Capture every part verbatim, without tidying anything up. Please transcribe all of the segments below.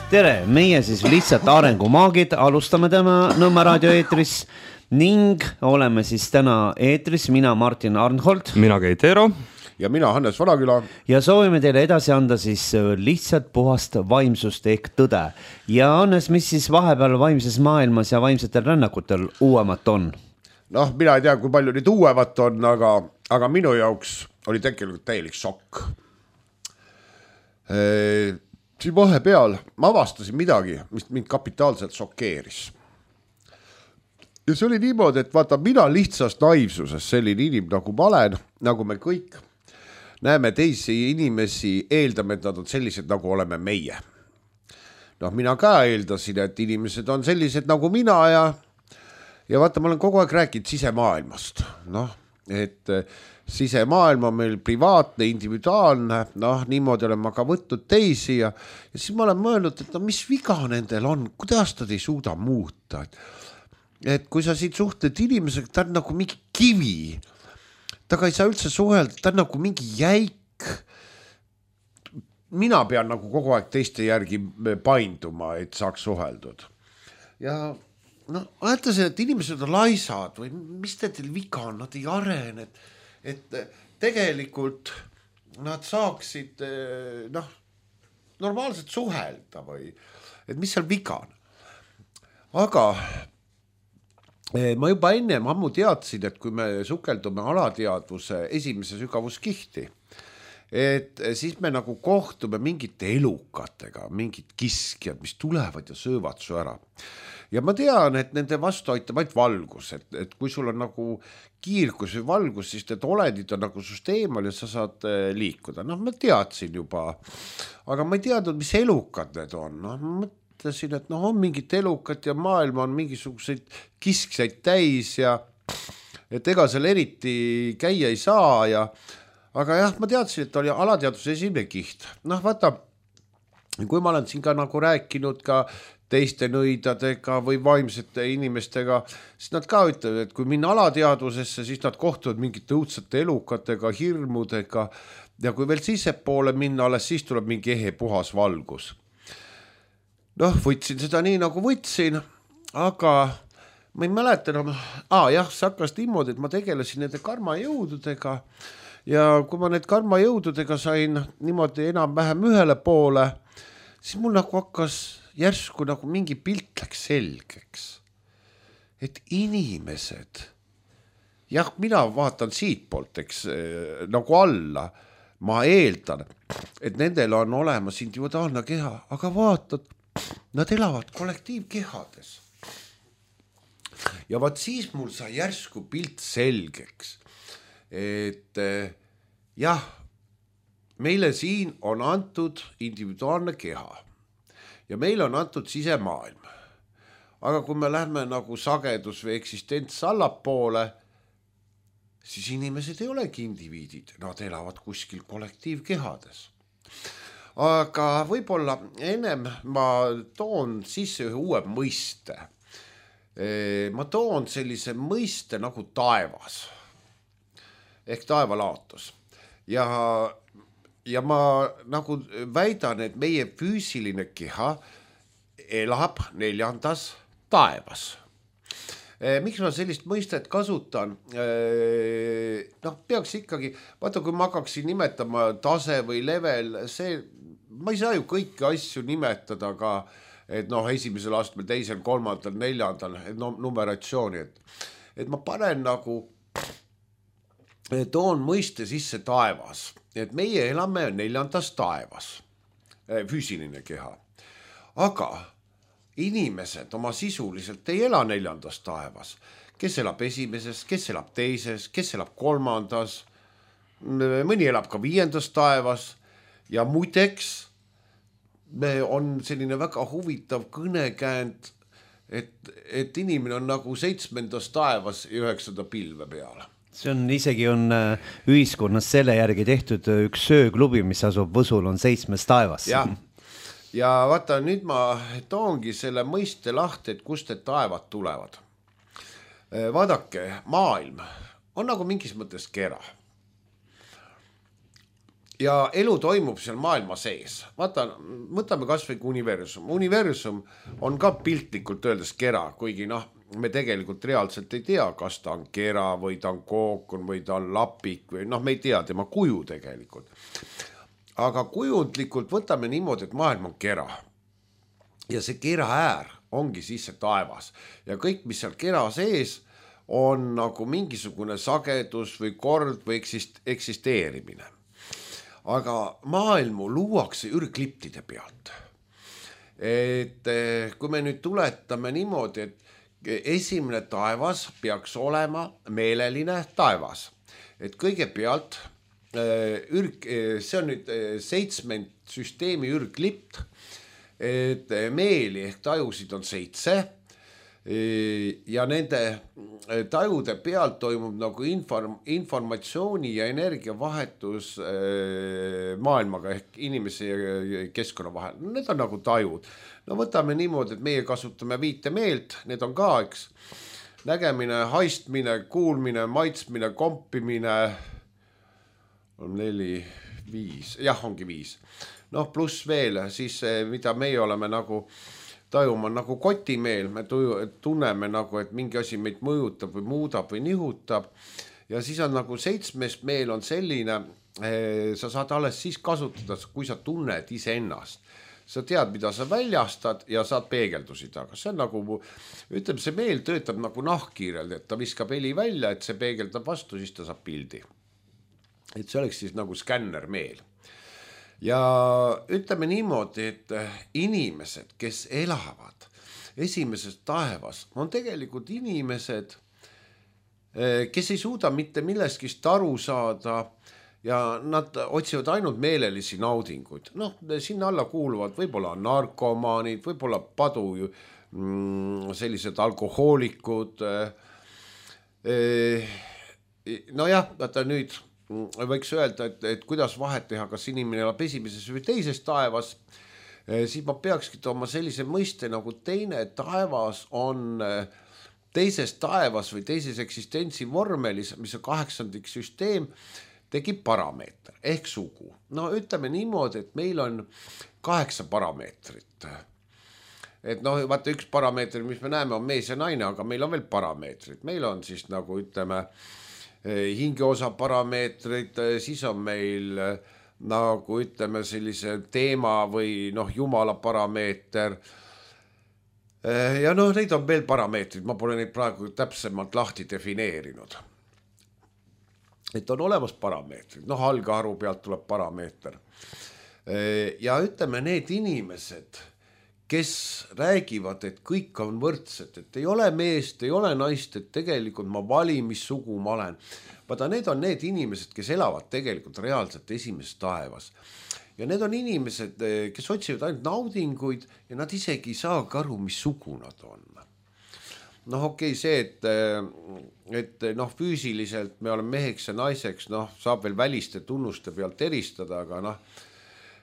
tere, meie siis lihtsalt arengumaagid, alustame täna Nõmme raadio eetris ning oleme siis täna eetris, mina Martin Arnhold. Mina Keit Eero. Ja mina Hannes Vanaküla. Ja soovime teile edasi anda siis lihtsalt puhast vaimsust ehk tõde. Ja Hannes, mis siis vahepeal vaimses maailmas ja vaimsetel rännakutel uuemat on? Noh, mina ei tea, kui palju nüüd uuemat on, aga, aga minu jaoks oli tegelikult täielik šokk. E, siin vahepeal ma avastasin midagi, mis mind kapitaalselt šokeeris. Ja see oli niimoodi, et vaata, mina lihtsast naivsuses selline inim, nagu ma olen, nagu me kõik näeme teisi inimesi, eeldame, et nad on sellised, nagu oleme meie. Noh, mina ka eeldasin, et inimesed on sellised, nagu mina ja, ja vaata, ma olen kogu aeg rääkinud sisemaailmast. Noh, et sisemaailm on meil privaatne, individuaalne, noh, niimoodi olen ma ka võtnud teisi ja, ja siis ma olen mõelnud, et no, mis viga nendel on, kuidas nad ei suuda muuta. Et, et kui sa siit suhtled inimesega, ta on nagu mingi kivi, taga ei saa üldse suhelda, ta on nagu mingi jäik. Mina pean nagu kogu aeg teiste järgi painduma, et saaks suheldud. Ja no, mõtlesin, et inimesed on laisad või mis teil viga on, nad ei arene, et, et tegelikult nad saaksid noh, normaalselt suhelda või et mis seal viga on. Aga ma juba ennem ammu teadsin, et kui me sukeldume alateadvuse esimese sügavuskihti, et siis me nagu kohtume mingite elukatega, mingid kiskjad, mis tulevad ja söövad su ära. Ja ma tean, et nende vastu aitab ainult valgus, et, et kui sul on nagu kiirgus või valgus, siis need olendid on nagu sust eemal ja sa saad liikuda. Noh, ma teadsin juba, aga ma ei teadnud, mis elukad need on. Noh, ma mõtlesin, et noh, on mingit elukat ja maailma on mingisuguseid kiskseid täis ja et ega seal eriti käia ei saa ja aga jah, ma teadsin, et oli alateadvuse esimene kiht. Noh, vaata, kui ma olen siin ka nagu rääkinud ka teiste nõidadega või vaimsete inimestega, siis nad ka ütlevad, et kui minna alateadvusesse, siis nad kohtuvad mingite õudsate elukatega, hirmudega ja kui veel sissepoole minna, alles siis tuleb mingi ehe puhas valgus. Noh, võtsin seda nii nagu võtsin, aga ma ei mäleta enam, aa jah, see hakkas niimoodi, et ma tegelesin nende karmajõududega ja kui ma need karmajõududega sain niimoodi enam-vähem ühele poole, siis mul nagu hakkas järsku nagu mingi pilt läks selgeks, et inimesed, jah, mina vaatan siit poolt, eks, nagu alla, ma eeldan, et nendel on olemas individuaalne keha, aga vaatad, nad elavad kollektiivkehades. Ja vaat siis mul sai järsku pilt selgeks, et jah, meile siin on antud individuaalne keha ja meil on antud sisemaailm. Aga kui me lähme nagu sagedus või eksistents allapoole, siis inimesed ei olegi indiviidid, nad elavad kuskil kollektiivkehades. Aga võib-olla ennem ma toon sisse ühe uue mõiste. Ma toon sellise mõiste nagu taevas ehk taevalaatus. Ja, ja ma nagu väidan, et meie füüsiline keha elab neljandas taevas. Miks ma sellist mõistet kasutan? Noh, peaks ikkagi, vaata kui ma hakkaksin nimetama tase või level, see, ma ei saa ju kõiki asju nimetada ka, et noh, esimesel astmel, teisel, kolmandal, neljandal, et no, numeratsiooni, et, et ma panen nagu, toon mõiste sisse taevas, et meie elame neljandas taevas, füüsiline keha, aga inimesed oma sisuliselt ei ela neljandas taevas, kes elab esimeses, kes elab teises, kes elab kolmandas, mõni elab ka viiendas taevas ja muideks on selline väga huvitav kõnekäänd, et, et inimene on nagu seitsmendas taevas ja üheksanda pilve peale. See on isegi on ühiskonnas selle järgi tehtud üks sööklubi, mis asub Võsul, on seitsmes taevas. Jah. Ja vaata, nüüd ma toongi selle mõiste lahti, et kust need taevad tulevad. Vaadake, maailm on nagu mingis mõttes kera. ja elu toimub seal maailma sees. Vaata, võtame kas või universum. Universum on ka piltlikult öeldes kera, kuigi noh, me tegelikult reaalselt ei tea, kas ta on kera või ta on kookon või ta on lapik või noh, me ei tea tema kuju tegelikult. Aga kujundlikult võtame niimoodi, et maailm on kera. Ja see kera äär ongi siis see taevas. Ja kõik, mis seal kera sees, on nagu mingisugune sagedus või kord või eksist- eksisteerimine. Aga maailmu luuakse ürgliptide pealt. Et kui me nüüd tuletame niimoodi, et esimene taevas peaks olema meeleline taevas. Et kõigepealt ürg, see on nüüd seitsmend süsteemi ürglipt, et meeli ehk tajusid on seitse ja nende tajude pealt toimub nagu inform, informatsiooni ja energiavahetus maailmaga ehk inimese ja keskkonna vahel. Need on nagu tajud. No võtame niimoodi, et meie kasutame viite meelt, need on ka, eks, nägemine, haistmine, kuulmine, maitsmine, kompimine, on neli, viis, jah, ongi viis. Noh, pluss veel, siis mida meie oleme nagu tajuma, nagu kotimeel, me tunneme nagu, et mingi asi meid mõjutab või muudab või nihutab. Ja siis on nagu seitsmes meel on selline, sa saad alles siis kasutada, kui sa tunned ise ennast. Sa tead, mida sa väljastad ja saad peegeldusi taga. See on nagu, ütleme, see meel töötab nagu nahkkiirelt, et ta viskab heli välja, et see peegeldab vastu, siis ta saab pildi. Et see oleks siis nagu skänner meel. Ja ütleme niimoodi, et inimesed, kes elavad esimeses taevas, on tegelikult inimesed, kes ei suuda mitte milleskist aru saada ja nad otsivad ainult meelelisi naudinguid. Noh, sinna alla kuuluvad võib-olla narkomaanid, võib-olla padu sellised alkohoolikud. No jah, vaata nüüd võiks öelda, et, et kuidas vahet teha, kas inimene elab esimeses või teises taevas, siis ma peakski tooma sellise mõiste nagu teine taevas on teises taevas või teises eksistentsi vormelis, mis on kaheksandik süsteem, tekib parameeter ehk sugu. No ütleme niimoodi, et meil on kaheksa parameetrit. Et noh, vaata üks parameeter, mis me näeme, on mees ja naine, aga meil on veel parameetrid. Meil on siis nagu ütleme hingeosa parameetrid, siis on meil nagu ütleme sellise teema või noh, jumala parameeter. Ja noh, neid on veel parameetrid, ma pole neid praegu täpsemalt lahti defineerinud. Et on olemas parameetrid, noh, algharu pealt tuleb parameeter. Ja ütleme, need inimesed, kes räägivad, et kõik on võrdsed, et ei ole meest, ei ole naist, et tegelikult ma valin, mis sugu ma olen. Vaata, need on need inimesed, kes elavad tegelikult reaalselt esimeses taevas. Ja need on inimesed, kes otsivad ainult naudinguid ja nad isegi ei saa aru, mis sugu nad on. Noh, okei, see, et, et noh, füüsiliselt me oleme meheks ja naiseks, noh, saab veel väliste tunnuste pealt eristada, aga noh,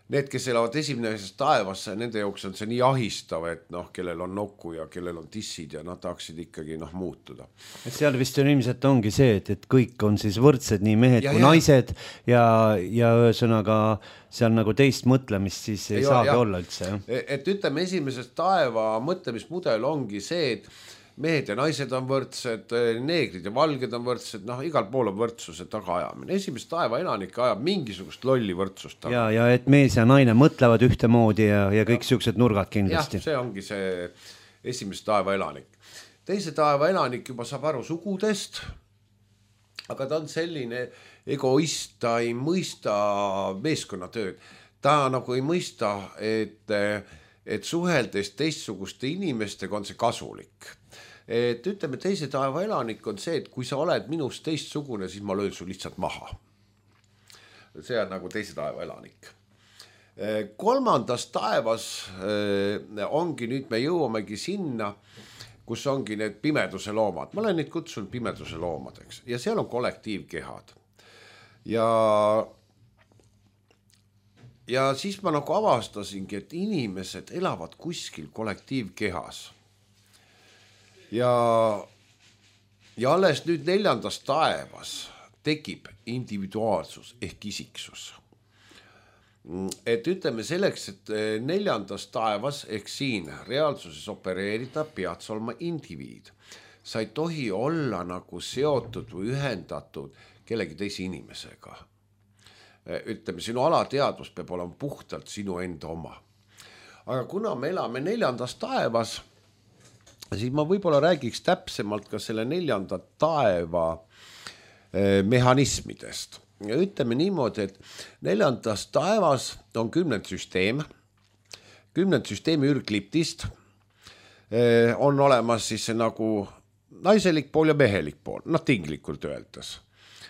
need, kes elavad esimeses taevas, nende jooks on see nii ahistav, et noh, kellel on nokku ja kellel on tissid ja nad tahaksid ikkagi noh, muutuda. Seal vist on ilmselt ongi see, et, et kõik on siis võrdsed, nii mehed ja, kui ja. naised ja, ja ühesõnaga seal nagu teist mõtlemist siis ei, ei saagi ja. olla üldse. Ja. Et ütleme, esimeses taeva mõtlemismudel ongi see, et mehed ja naised on võrdsed, neegrid ja valged on võrdsed, noh, igal pool on võrdsuse tagaajamine. Esimest taeva elanik ajab mingisugust lolli võrdsust taga. Ja, ja et mees ja naine mõtlevad ühtemoodi ja, ja kõik siuksed nurgad kindlasti. Jah, see ongi see esimest taeva elanik. Teise taeva elanik juba saab aru sugudest, aga ta on selline egoist, ta ei mõista meeskonnatööd. Ta nagu ei mõista, et, et suheldes teistsuguste inimestega on see kasulik. Et ütleme, teise taeva elanik on see, et kui sa oled minust teistsugune, siis ma löön su lihtsalt maha. See on nagu teise taeva elanik. Kolmandas taevas ongi, nüüd me jõuamegi sinna, kus ongi need pimeduse loomad. Ma olen neid kutsunud pimeduse loomadeks ja seal on kollektiivkehad. Ja, ja siis ma nagu avastasingi, et inimesed elavad kuskil kollektiivkehas. Ja, ja alles nüüd neljandas taevas tekib individuaalsus ehk isiksus. et ütleme selleks, et neljandas taevas ehk siin reaalsuses opereerida, pead sa olema indiviid. Sa ei tohi olla nagu seotud või ühendatud kellegi teise inimesega. Ütleme, sinu alateadvus peab olema puhtalt sinu enda oma. Aga kuna me elame neljandas taevas, siis ma võib-olla räägiks täpsemalt ka selle neljanda taeva mehhanismidest. Ja ütleme niimoodi, et neljandas taevas on kümnend süsteem, kümnend süsteemi ürgliptist on olemas siis nagu naiselik pool ja mehelik pool, noh tinglikult öeldes.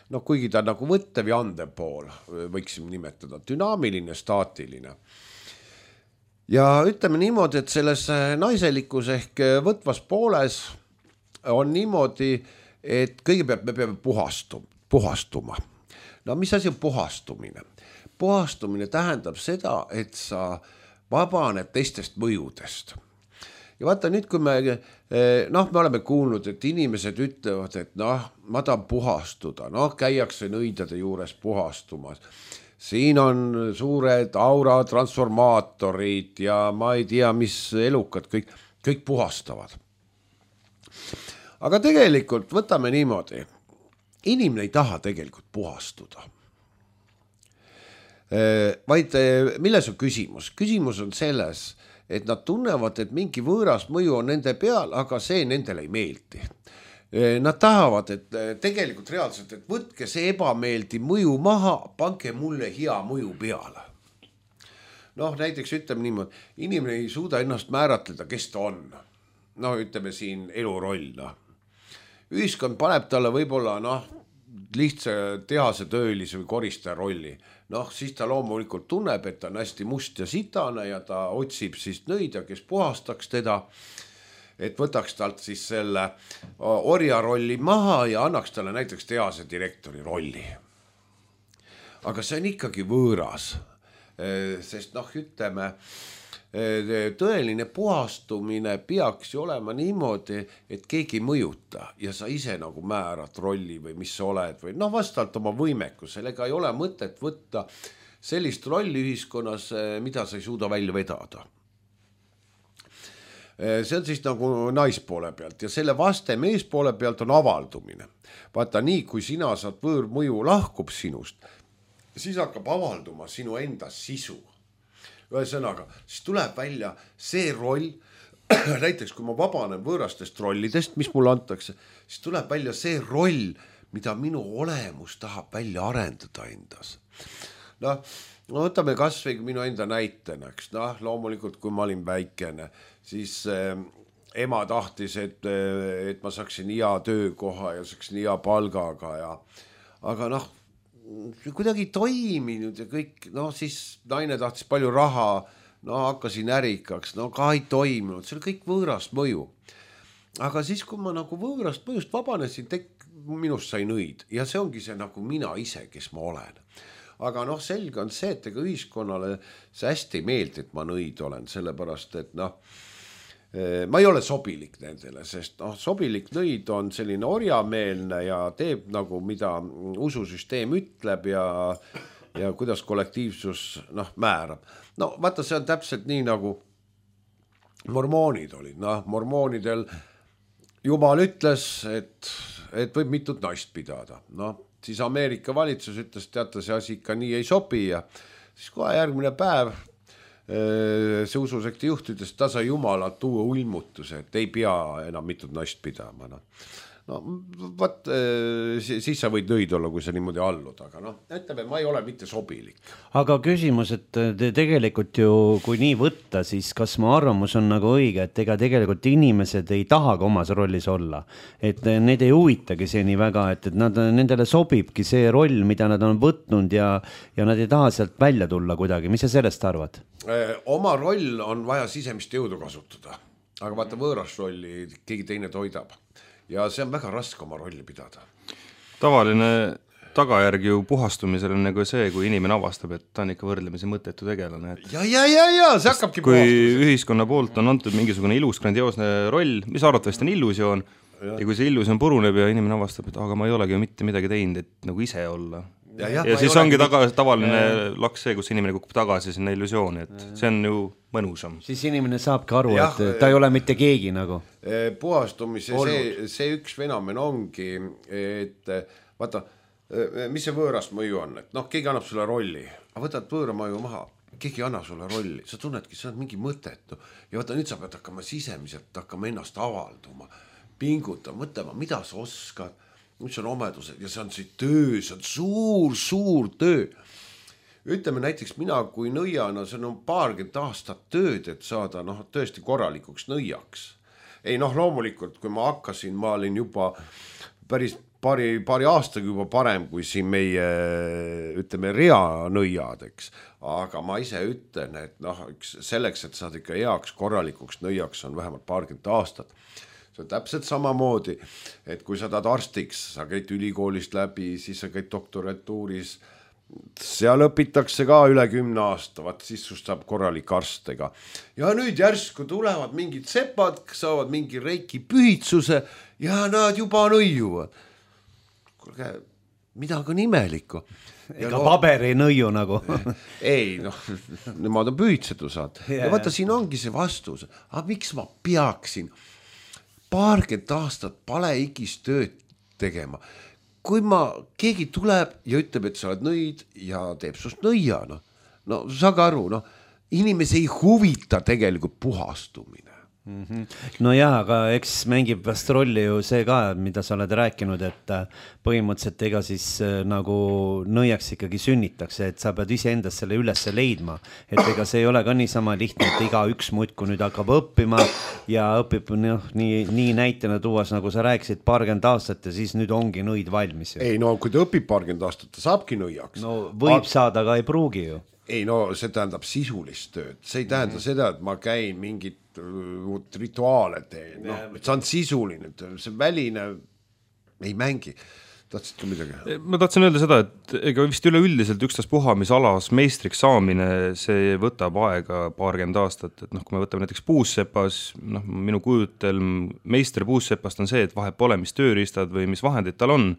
No kuigi ta nagu võttev ja andev pool, võiksime nimetada, dünaamiline, staatiline. Ja ütleme niimoodi, et selles naiselikus ehk võtvas pooles on niimoodi, et kõigepealt me peame puhastuma, puhastuma. No mis asi on puhastumine? Puhastumine tähendab seda, et sa vabaned teistest mõjudest. Ja vaata nüüd, kui me, noh, me oleme kuulnud, et inimesed ütlevad, et noh, ma tahan puhastuda, noh, käiakse nõidade juures puhastumas. Siin on suured aura transformaatorid ja ma ei tea, mis elukad, kõik, kõik puhastavad. Aga tegelikult võtame niimoodi. Inimene ei taha tegelikult puhastuda. Vaid milles on küsimus? Küsimus on selles, et nad tunnevad, et mingi võõras mõju on nende peal, aga see nendele ei meeldi. Nad tahavad, et tegelikult reaalselt, et võtke see ebameeldi mõju maha, panke mulle hea mõju peale. Noh, näiteks ütleme niimoodi, inimene ei suuda ennast määratleda, kes ta on. No ütleme siin eluroll, noh. Ühiskond paneb talle võib-olla noh, lihtsa tehase töölise või koristaja rolli. Noh, siis ta loomulikult tunneb, et ta on hästi must ja sitane ja ta otsib siis nõida, kes puhastaks teda, et võtaks talt siis selle orja rolli maha ja annaks talle näiteks tehase direktori rolli. Aga see on ikkagi võõras, sest noh, ütleme, tõeline puhastumine peaks ju olema niimoodi, et keegi mõjuta ja sa ise nagu määrad rolli või mis sa oled või noh, vastavalt oma võimekusele, ega ei ole mõtet võtta sellist rolli ühiskonnas, mida sa ei suuda välja vedada. See on siis nagu naispoole pealt ja selle vaste meespoole pealt on avaldumine. Vaata nii, kui sina saad võõrmõju lahkub sinust, siis hakkab avalduma sinu enda sisu. Ühesõnaga, siis tuleb välja see roll, näiteks kui ma vabanen võõrastest rollidest, mis mulle antakse, siis tuleb välja see roll, mida minu olemus tahab välja arendada endas. Noh, võtame kas või minu enda näitena, eks, noh, loomulikult kui ma olin väikene, siis äh, ema tahtis, et, et ma saaksin hea töökoha ja saaksin hea palgaga ja, aga noh, kuidagi toiminud ja kõik, no siis naine tahtis palju raha, no hakkasin ärikaks, no ka ei toiminud, see oli kõik võõrast mõju. Aga siis, kui ma nagu võõrast mõjust vabanesin, tek, minust sai nõid ja see ongi see nagu mina ise, kes ma olen. Aga noh, selge on see, et ega ühiskonnale see hästi ei meeldi, et ma nõid olen, sellepärast, et noh, ma ei ole sobilik nendele, sest noh, sobilik nõid on selline orjameelne ja teeb nagu, mida ususüsteem ütleb ja, ja kuidas kollektiivsus noh, määrab. No vaata, see on täpselt nii nagu mormoonid olid. Noh, mormoonidel Jumal ütles, et, et võib mitut naist pidada. Noh, siis Ameerika valitsus ütles, teata see asi ikka nii ei sobi ja siis kohe järgmine päev see ususekti juht ütles, et ta sai Jumala tuua ulmutuse, et ei pea enam mitut naist pidama. No, no vaat, siis sa võid nõid olla, kui sa niimoodi allud, aga noh, ütleme, ma ei ole mitte sobilik. Aga küsimus, et te tegelikult ju, kui nii võtta, siis kas mu arvamus on nagu õige, et ega tegelikult inimesed ei tahaga omas rollis olla, et need ei huvitagi see nii väga, et, et nad, nendele sobibki see roll, mida nad on võtnud ja, ja nad ei taha sealt välja tulla kuidagi. Mis sa sellest arvad? Oma roll on vaja sisemist jõudu kasutada, aga vaata võõras rolli keegi teine toidab ja see on väga raske oma rolli pidada. Tavaline tagajärg ju puhastumisel on nagu see, kui inimene avastab, et ta on ikka võrdlemisi mõttetu tegelane. Et ja, ja, ja, ja, see hakkabki kui puhastumisel. Ühiskonna poolt on antud mingisugune ilus, grandioosne roll, mis arvatavasti on illusioon ja. ja kui see illusioon puruneb ja inimene avastab, et aga ma ei olegi ju mitte midagi teinud, et nagu ise olla. ja, ja, ja siis ongi taga, tavaline ja. laks see, kus inimene kukub tagasi sinna illusiooni, et see on ju mõnusam. Siis inimene saabki aru, ja, et ta ei ole mitte keegi nagu. Puhastumise see, see üks fenomen ongi, et vaata, mis see võõrast mõju on, et noh, keegi annab sulle rolli, aga võtad võõra mõju maha, keegi anna sulle rolli, sa tunnedki, see on mingi mõtetu ja vaata, nüüd sa pead hakkama sisemiselt hakkama ennast avalduma, pingutama, mõtlema, mida sa oskad, mis on omedused ja see on see töö, see on suur, suur töö. Ütleme näiteks mina kui nõiana, see on paarkümmend aastat tööd, et saada noh, tõesti korralikuks nõiaks. Ei noh, loomulikult, kui ma hakkasin, ma olin juba päris paari, paari aastaga juba parem kui siin meie, ütleme, reanõiadeks. Aga ma ise ütlen, et noh, selleks, et saada ikka heaks korralikuks nõiaks on vähemalt paarkümmend aastat. See on täpselt samamoodi, et kui sa tahad arstiks, sa käid ülikoolist läbi, siis sa käid doktoratuuris, seal õpitakse ka üle kümne aasta, vaat siis sust saab korralik arstega. Ja nüüd järsku tulevad mingid sepad, saavad mingi reiki pühitsuse ja nad juba nõiuvad. Kuulge, midagi on imelikku. Ega no, paberi nõiu nagu. ei, noh, nemad on pühitsetu saad. Yeah. Ja vaata, siin ongi see vastus. Aga miks ma peaksin paarkümmend aastat palehigis tööd tegema? Kui ma, keegi tuleb ja ütleb, et sa oled nõid ja teeb sust nõia, no, no saage aru, no, inimesi ei huvita tegelikult puhastumine. Mm-hmm. No jah, aga eks mängib vast rolli ju see ka, mida sa oled rääkinud, et põhimõtteliselt ega siis nagu nõiaks ikkagi sünnitakse, et sa pead ise endast selle ülesse leidma, et ega see ei ole ka niisama lihtne, et iga üks muudku nüüd hakkab õppima ja õpib noh, nii, nii näitena tuuas, nagu sa rääkisid, paarkümmend aastat ja siis nüüd ongi nõid valmis. Ei no, kui ta õpib paarkümmend aastat, ta saabki nõiaks. No võib Ar- saada, aga ei pruugi ju. Ei no, see tähendab sisulist tööd, see ei tähenda mm-hmm. seda, et ma käin mingit rituaale teen, noh, see on sisuline, see väline ei mängi. Tahtsid ka midagi? Ma tahtsin öelda seda, et ega vist üleüldiselt ükstas puha, mis alas meistriks saamine, see võtab aega paarkümmend aastat, et noh, kui me võtame näiteks puussepas, noh, minu kujutelm meister puussepast on see, et vahet pole, mis tööriistad või mis vahendid tal on,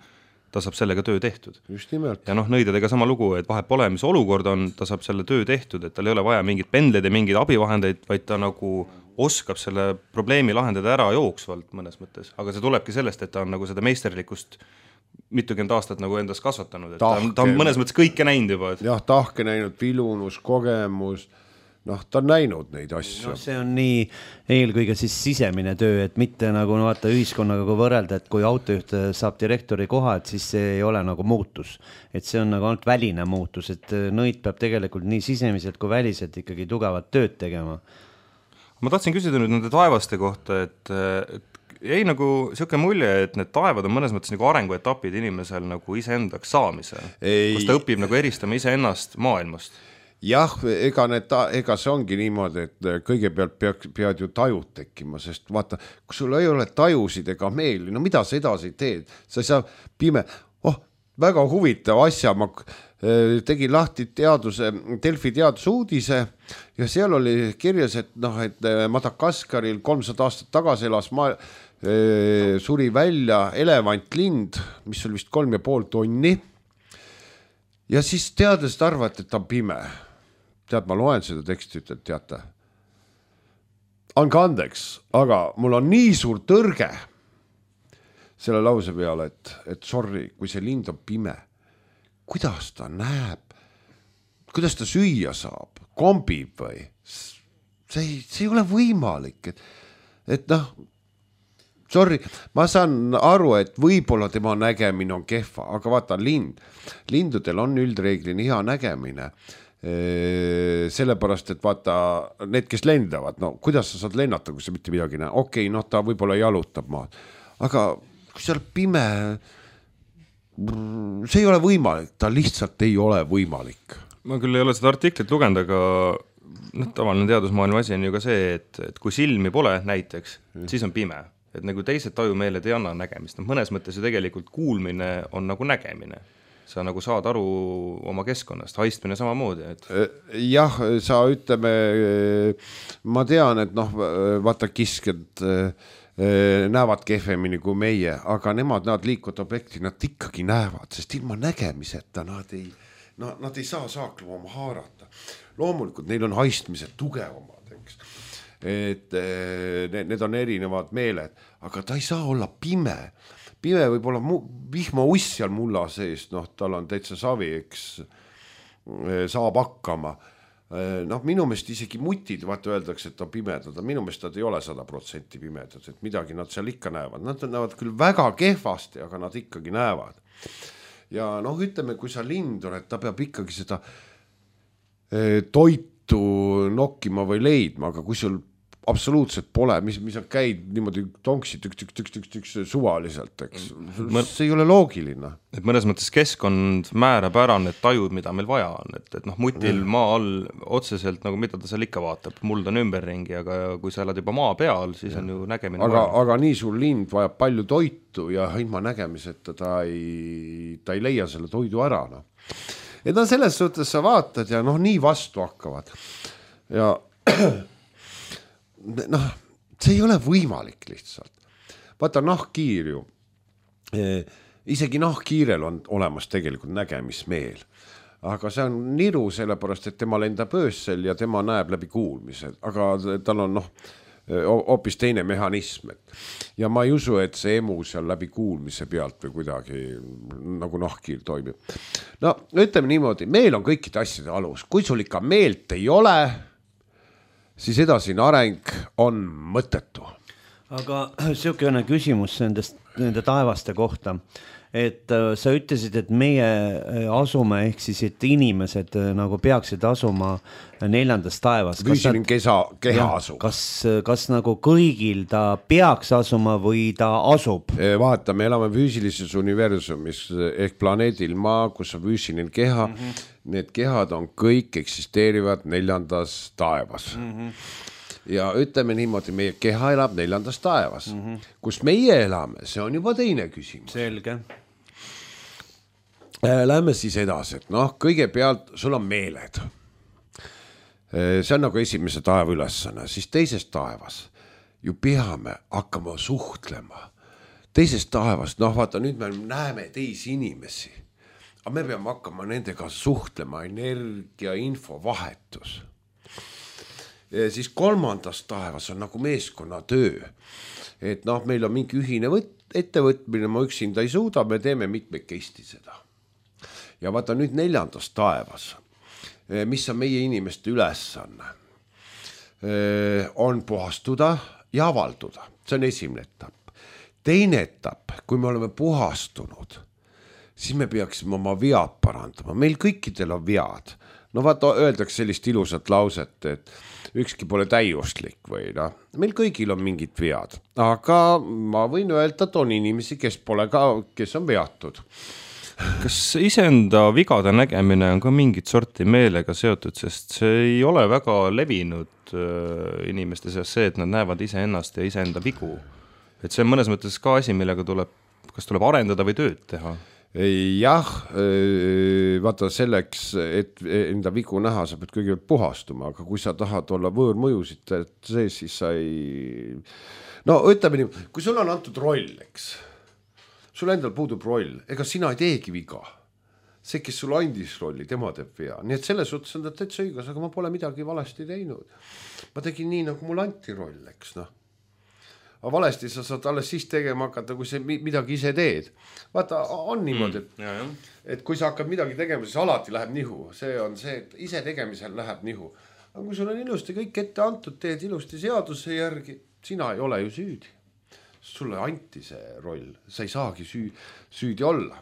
ta saab sellega töö tehtud. Just nimelt. Ja noh, nõidadega sama lugu, et vahet pole, mis olukord on, ta saab selle töö tehtud, et tal ei ole vaja mingid pendleid ja mingid abivahendeid, vaid ta nagu oskab selle probleemi lahendada ära jooksvalt mõnes mõttes, aga see tulebki sellest, et ta on nagu seda meisterlikkust mitukümmend aastat nagu endas kasvatanud, et tahke, ta on mõnes mõttes kõike näinud juba. Et... jah, tahke näinud, vilunus, kogemus, noh, ta on näinud neid asju. No, see on nii eelkõige siis sisemine töö, et mitte nagu no, vaata ühiskonnaga kui võrrelda, et kui autojuht saab direktori koha, et siis see ei ole nagu muutus. Et see on nagu ainult väline muutus, et nõid peab tegelikult nii sisemiselt kui väliselt ikkagi tugevat tööd tegema. Ma tahtsin küsida nüüd nende taevaste kohta, et, et jäi nagu siuke mulje, et need taevad on mõnes mõttes nagu arenguetapid inimesel nagu iseendaks saamisel, kus ta õpib nagu eristama iseennast maailmast. Jah, ega, need, ega see ongi niimoodi, et kõigepealt pead, pead ju tajud tekkima, sest vaata, kui sul ei ole tajusid ega meeli, no mida sa edasi teed, sa ei saa pime, oh, väga huvitav asja, ma tegin lahti teaduse, Delfi teadusuudise ja seal oli kirjas, et noh, et Madagaskaril kolmsada aastat tagasi elas ma, e, suri välja elevantlind, mis oli vist kolm ja pool tonni ja siis teadlased arvavad, et ta on pime. Tead, ma loen seda teksti, ütlen, teate, andke andeks, aga mul on nii suur tõrge selle lause peale, et, et sorry, kui see lind on pime, kuidas ta näeb, kuidas ta süüa saab, kombib või, see ei, see ei ole võimalik, et, et noh, sorry, ma saan aru, et võib-olla tema nägemine on kehva, aga vaata lind, lindudel on üldreeglini hea nägemine, sellepärast, et vaata need, kes lendavad, no kuidas sa saad lennata, kui sa mitte midagi näe, okei, noh ta võib-olla jalutab maad, aga kui seal pime, see ei ole võimalik, ta lihtsalt ei ole võimalik. Ma küll ei ole seda artiklit lugenud, aga noh, tavaline teadusmaailma asi on ju ka see, et, et kui silmi pole näiteks, mm. siis on pime. Et nagu teised tajumeeled ei anna nägemist. No, mõnes mõttes ju tegelikult kuulmine on nagu nägemine. Sa nagu saad aru oma keskkonnast, haistmine samamoodi. Et... jah, sa ütleme, ma tean, et noh, vaata kisked näevad kehvemini kui meie, aga nemad, nad liikuvad objekti, nad ikkagi näevad, sest ilma nägemiseta nad ei, no, nad ei saa saakluma oma haarata. Loomulikult neil on haistmised tugevamad, eks. Et need, need on erinevad meeled, aga ta ei saa olla pime. Pime võib olla mu, vihma uss seal mulla sees, noh, tal on täitsa savi, eks saab hakkama. Noh, minu meelest isegi mutid, vaata öeldakse, et on pimedad, minu meelest nad ei ole sada protsenti pimedad, et midagi nad seal ikka näevad. Nad näevad küll väga kehvasti, aga nad ikkagi näevad. Ja noh, ütleme, kui sa lind oled, ta peab ikkagi seda toitu nokkima või leidma, aga kui sul absoluutselt pole, mis, mis on käid niimoodi tonksi tüks, tüks, tüks, tüks, tüks suvaliselt, eks. See ei ole loogiline. Et mõnes mõttes keskkond määrab ära need tajud, mida meil vaja on, et, et noh, mutil mm. maa all otseselt, nagu mida ta seal ikka vaatab, muld on ümberringi, aga kui sa elad juba maa peal, siis ja. On ju nägemine aga, aga nii sul lind vajab palju toitu ja ilma nägemiseta ta ei, ta ei leia selle toidu ära, noh. Et no selles suhtes sa vaatad ja noh, nii vastu hakkavad. Ja noh, see ei ole võimalik lihtsalt. Vaata nahkkiir ju, isegi nahkkiirel on olemas tegelikult nägemismeel, aga see on niru sellepärast, et tema lendab öössel ja tema näeb läbi kuulmised, aga tal on noh, hoopis teine mehhanism. Ja ma ei usu, et see emu seal läbi kuulmise pealt või kuidagi nagu nahkkiir toimib. No ütleme niimoodi, meel on kõikide asjade alus. Kui sul ikka meelt ei ole, siis edasine areng on mõttetu. Aga siukene küsimus nendest, nende taevaste kohta, et sa ütlesid, et meie asume ehk siis, et inimesed nagu peaksid asuma neljandas taevas. Füüsiline kesa, keha asub. Kas, kas nagu kõigil ta peaks asuma või ta asub? Vaata, me elame füüsilises universumis ehk planeedil maa, kus on füüsiline keha. Mm-hmm. Need kehad on kõik eksisteerivad neljandas taevas. Mm-hmm. Ja ütleme niimoodi, meie keha elab neljandas taevas. Mm-hmm. Kus meie elame, see on juba teine küsimus. Selge. Lähme siis edasi, et noh, kõigepealt sul on meeled. See on nagu esimese taeva ülesanne, siis teises taevas ju peame hakkama suhtlema. Teises taevas, noh vaata, nüüd me näeme teisi inimesi, aga me peame hakkama nendega suhtlema, energia, info, vahetus. Ja siis kolmandas taevas on nagu meeskonna töö, et noh, meil on mingi ühine võt, ettevõtmine, ma üksinda ei suuda, me teeme mitmekesti seda. Ja vaata nüüd neljandas taevas, mis on meie inimeste ülesanne, on puhastuda ja avalduda. See on esimene etapp. Teine etapp, kui me oleme puhastunud, siis me peaksime oma vead parandama. Meil kõikidel on vead. No vaata, öeldakse sellist ilusat lauset, et ükski pole täiuslik või noh. Meil kõigil on mingid vead, aga ma võin öelda, et on inimesi, kes pole ka, kes on veatud. Kas iseenda vigade nägemine on ka mingit sorti meelega seotud, sest see ei ole väga levinud inimeste seas see, et nad näevad iseennast ja iseenda vigu. Et see on mõnes mõttes ka asi, millega tuleb, kas tuleb arendada või tööd teha? Jah, vaata selleks, et enda vigu näha, sa pead kõigepealt puhastuma, aga kui sa tahad olla võõrmõjusid, et see siis sa ei... No ütleme nii, kui sul on antud roll, eks, sul endal puudub roll, ega sina ei teegi viga. See, kes sul andis rolli, tema teeb vea. Nii et selles suhtes on ta täitsa õigus, aga ma pole midagi valesti teinud. Ma tegin nii, nagu mul anti roll, eks noh. Aga valesti sa saad alles siis tegema hakata, kui sa midagi ise teed. Vaata, on niimoodi, et, mm, jah, et kui sa hakkad midagi tegema, siis alati läheb nihu. See on see, et ise tegemisel läheb nihu. Aga kui sul on ilusti kõik ette antud, teed ilusti seaduse järgi, sina ei ole ju süüdi. Sulle anti see roll, sa ei saagi süü, süüdi olla.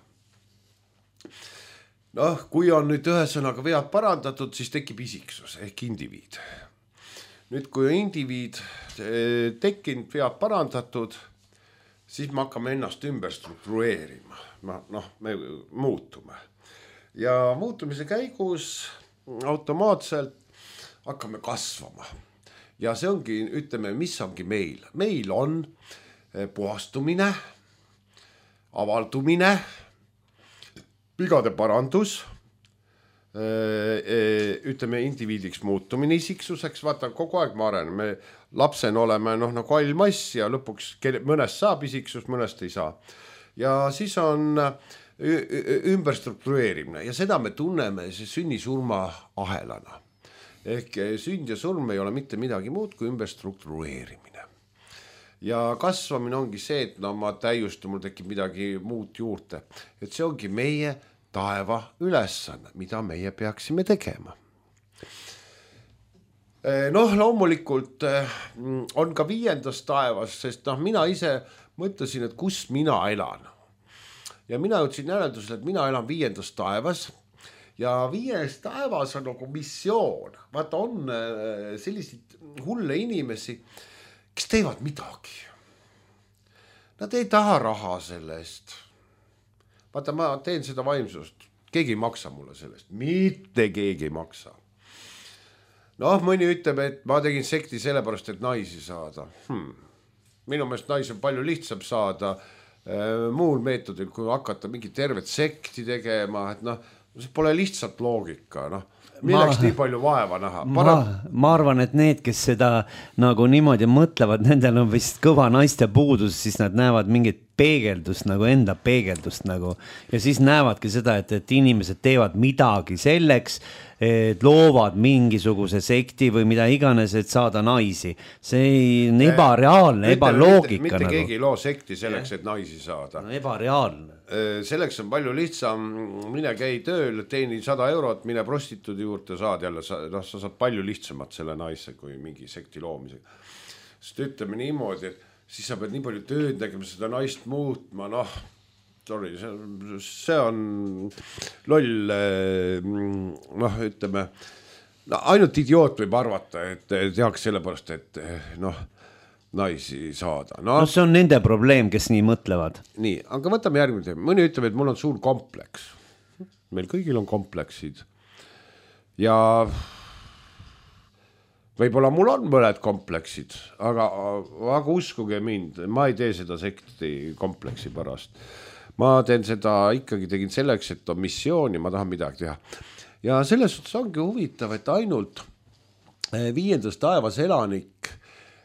Noh, kui on nüüd ühesõnaga vead parandatud, siis tekib isiksus ehk indiviid. Nüüd, kui on indiviid tekkinud, vead parandatud, siis me hakkame ennast ümber struktureerima. Noh, me muutume. Ja muutumise käigus automaatselt hakkame kasvama. Ja see ongi, ütleme, mis ongi meil. Meil on puhastumine, avaldumine, vigade parandus, ütleme indiviidiks muutumine isiksuseks, vaata kogu aeg ma areneme, lapsena oleme noh nagu all mass ja lõpuks mõnest saab isiksust, mõnest ei saa. Ja siis on ümber struktureerimine ja seda me tunneme sünni-surma ahelana. Ehk sünd ja surm ei ole mitte midagi muud kui ümber struktureerimine. Ja kasvamine ongi see, et no ma täiustu, mul tekib midagi muud juurde. Et see ongi meie taeva ülesanne, mida meie peaksime tegema. Noh, loomulikult on ka viiendas taevas, sest noh, mina ise mõtlesin, et kus mina elan. Ja mina jõudsin järeldusele, et mina elan viiendas taevas ja viies taevas on nagu missioon. Vaata, on selliseid hulle inimesi, kes teevad midagi. Nad ei taha raha selle eest. Vaata, ma teen seda vaimsust. Keegi ei maksa mulle sellest. Mitte keegi ei maksa. Noh, mõni ütleb, et ma tegin sekti sellepärast, et naisi saada. Hmm. Minu meelest naisi on palju lihtsam saada muul meetodil, kui hakata mingi tervet sekti tegema, et noh, see pole lihtsalt loogika, noh. Milleks ma, nii palju vaeva näha? Ma, ma arvan, et need, kes seda nagu niimoodi mõtlevad, nendel on vist kõva naiste puudus, siis nad näevad mingit peegeldust, nagu enda peegeldust nagu. Ja siis näevadki seda, et, et inimesed teevad midagi selleks, et loovad mingisuguse sekti või mida iganes, et saada naisi. See on ebareaalne, ebaloogika. Mitte, mitte nagu. Keegi ei loo sekti selleks, et naisi saada. No, ebareaalne. Selleks on palju lihtsam, mine käi tööl, teeni sada eurot, mine prostituudi juurde, saad jälle, noh, sa saad palju lihtsamat selle naise kui mingi sekti loomisega. Sest ütleme niimoodi, et siis sa pead nii palju tööd tegema, seda naist muutma, noh, sorry, see, see on loll, noh, ütleme, no, ainult idioot võib arvata, et tehaks sellepärast, et noh, naisi saada. No, no see on nende probleem, kes nii mõtlevad. Nii, aga võtame järgmine teema. Mõni ütleb, et mul on suur kompleks. Meil kõigil on kompleksid. Ja võib-olla mul on mõned kompleksid, aga, aga uskuge mind, ma ei tee seda sekti kompleksi pärast. Ma teen seda, ikkagi tegin selleks, et on missiooni, ma tahan midagi teha. Ja selles suhtes ongi huvitav, et ainult viiendas taevas elanik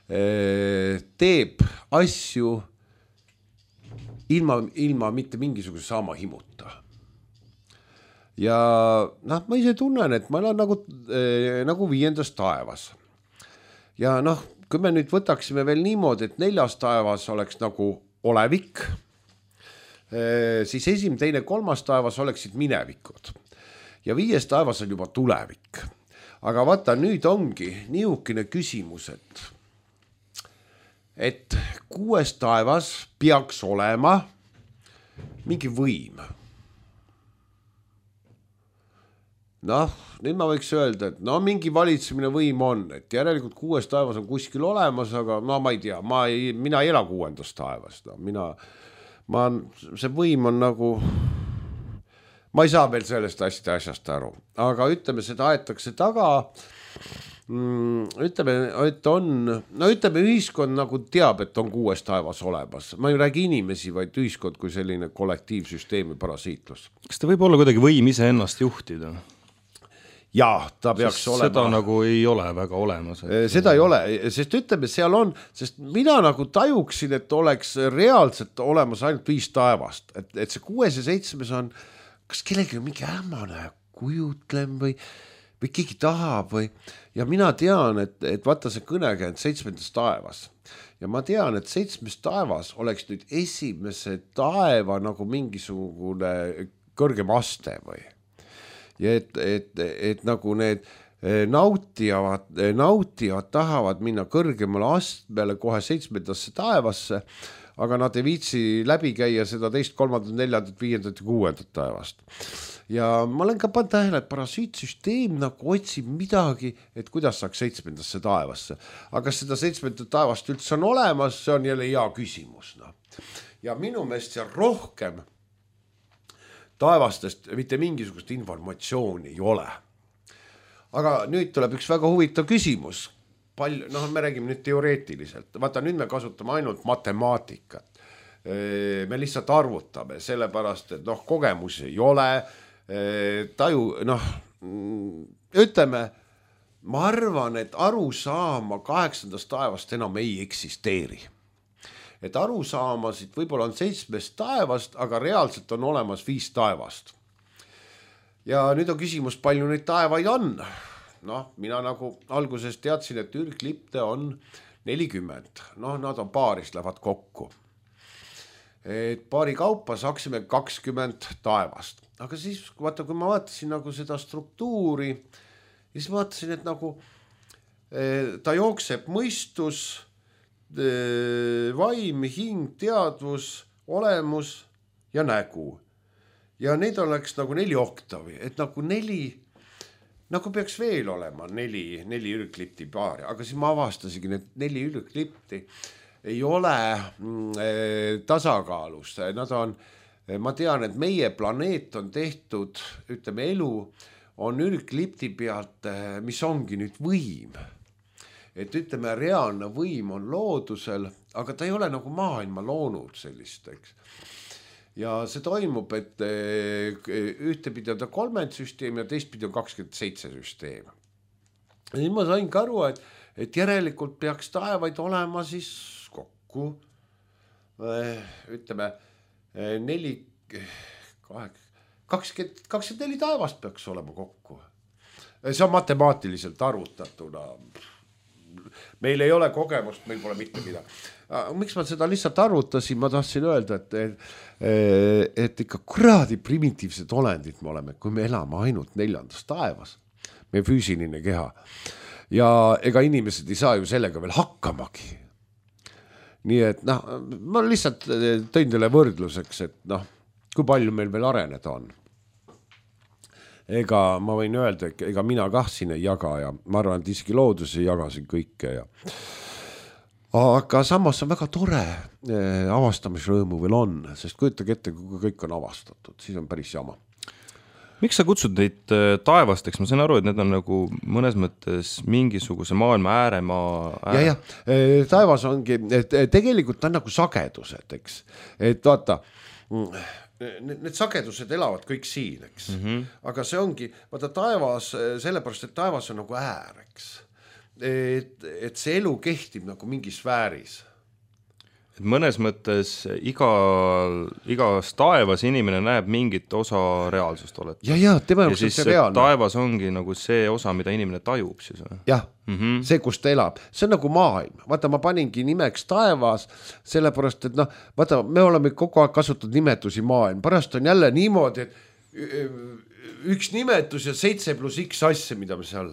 teeb asju ilma, ilma mitte mingisuguse saama himuta. Ja noh, ma ise tunnen, et ma olen nagu, nagu viiendas taevas. Ja noh, kui me nüüd võtaksime veel niimoodi, et neljas taevas oleks nagu olevik, siis esim, teine, kolmas taevas oleksid minevikud. Ja viies taevas on juba tulevik. Aga vaata, nüüd ongi niisugune küsimus, et et kuues taevas peaks olema mingi võim. Noh, nüüd ma võiks öelda, et no mingi valitsemine võim on, et järelikult kuues taevas on kuskil olemas, aga no ma ei tea, ma ei, mina ei ela kuuendas taevas. No, mina, ma, see võim on nagu, ma ei saa veel sellest hästi asjast aru, aga ütleme, seda aetakse taga. Ütleme, et on, no ütleme, ühiskond nagu teab, et on kuues taevas olemas. Ma ei räägi inimesi, vaid ühiskond kui selline kollektiivsüsteemi parasiitlus. Kas ta võib olla kuidagi võim ise ennast juhtida? Jaa, ta peaks sest olema. Seda nagu ei ole väga olemas. Et... Seda ei ole, sest ütleme, seal on, sest mina nagu tajuksin, et oleks reaalselt olemas ainult viis taevast. Et, et see kuues ja seitsmes on, kas kellegi on mingi ämmane kujutlem või või keegi tahab või, ja mina tean, et, et vaata see kõnega, et seitsmendas taevas. Ja ma tean, et seitsmes taevas oleks nüüd esimese taeva nagu mingisugune kõrgem aste või. Ja et, et, et nagu need nautivad, nautivad tahavad minna kõrgemale astmele kohe seitsmendasse taevasse, aga nad ei viitsi läbi käia seda teist, kolmandat, neljandat, viiendat ja kuuendat taevast. Ja ma olen ka pannud tähele, et parasiitsüsteem nagu otsib midagi, et kuidas saaks seitsmendasse taevasse. Aga seda seitsmendat taevast üldse on olemas, see on jälle hea küsimus. No. Ja minu meelest seal rohkem taevastest mitte mingisugust informatsiooni ei ole. Aga nüüd tuleb üks väga huvitav küsimus. Palju, noh, me räägime nüüd teoreetiliselt. Vaata, nüüd me kasutame ainult matemaatikat. Me lihtsalt arvutame, sellepärast, et noh, kogemusi ei ole, taju, noh, ütleme, ma arvan, et arusaama kaheksandast taevast enam ei eksisteeri. Et arusaamasid võib-olla on seitsmest taevast, aga reaalselt on olemas viis taevast. Ja nüüd on küsimus, palju neid taevaid on. Noh, mina nagu alguses teadsin, et ürglipte on nelikümmend. Noh, nad on paaris, lähevad kokku. Et paari kaupa saaksime kakskümmend taevast. Aga siis, vaata, kui ma vaatasin nagu seda struktuuri, siis vaatasin, et nagu ta jookseb mõistus, vaim, hing, teadvus, olemus ja nägu. Ja neid oleks nagu neli oktavi, et nagu neli, nagu peaks veel olema neli, neli ürglipti paari, aga siis ma avastasingi, et neli ürglipti ei ole mm, tasakaalus, nad on, ma tean, et meie planeet on tehtud, ütleme elu, on ürglipti pealt, mis ongi nüüd võim. Et ütleme, reaalne võim on loodusel, aga ta ei ole nagu maailma loonud sellist, eks. Ja see toimub, et ühtepidi on ta kolmend süsteem ja teistpidi on kakskümmend seitse süsteem. Ja nüüd ma sain ka aru, et, et järelikult peaks taevaid olema siis kokku, ütleme, neli, kakskümmend, kakskümmend neli taevast peaks olema kokku. See on matemaatiliselt arvutatuna. Meil ei ole kogemust, meil pole mitte midagi. Miks ma seda lihtsalt arvutasin, ma tahtsin öelda, et, et ikka kuradi primitiivsed olendid me oleme, kui me elame ainult neljandas taevas, meie füüsiline keha. Ja ega inimesed ei saa ju sellega veel hakkamagi. Nii et noh, ma lihtsalt tõin teile võrdluseks, et noh, kui palju meil veel areneda on. Ega ma võin öelda, ega mina kah siin ei jaga ja ma arvan, et isegi loodus ei jaga siin kõike. Ja... Aga samas on väga tore avastamisrõõmu veel on, sest kujutage ette, kui kõik on avastatud, siis on päris jama. Miks sa kutsud neid taevasteks? Ma sain aru, et need on nagu mõnes mõttes mingisuguse maailma ääremaa ääre. Ja, ja, taevas ongi, et tegelikult on nagu sagedused, eks. Et vaata... Need sagedused elavad kõik siin, eks. Mm-hmm. Aga see ongi, vaata taevas, sellepärast, et taevas on nagu äär, eks. Et, et see elu kehtib nagu mingis sfääris. Et mõnes mõttes iga, igas taevas inimene näeb mingit osa reaalsust oled. Ja, ja, tema ja siis taevas ongi nagu see osa, mida inimene tajub siis. Jah, mm-hmm. see, kus ta elab. See on nagu maailm. Vaata, ma paningi nimeks taevas, sellepärast, et noh, vaata, me oleme kogu aeg kasutatud nimetusi maailm. Pärast on jälle niimoodi, et üks nimetus ja seitse pluss X asja, mida me seal.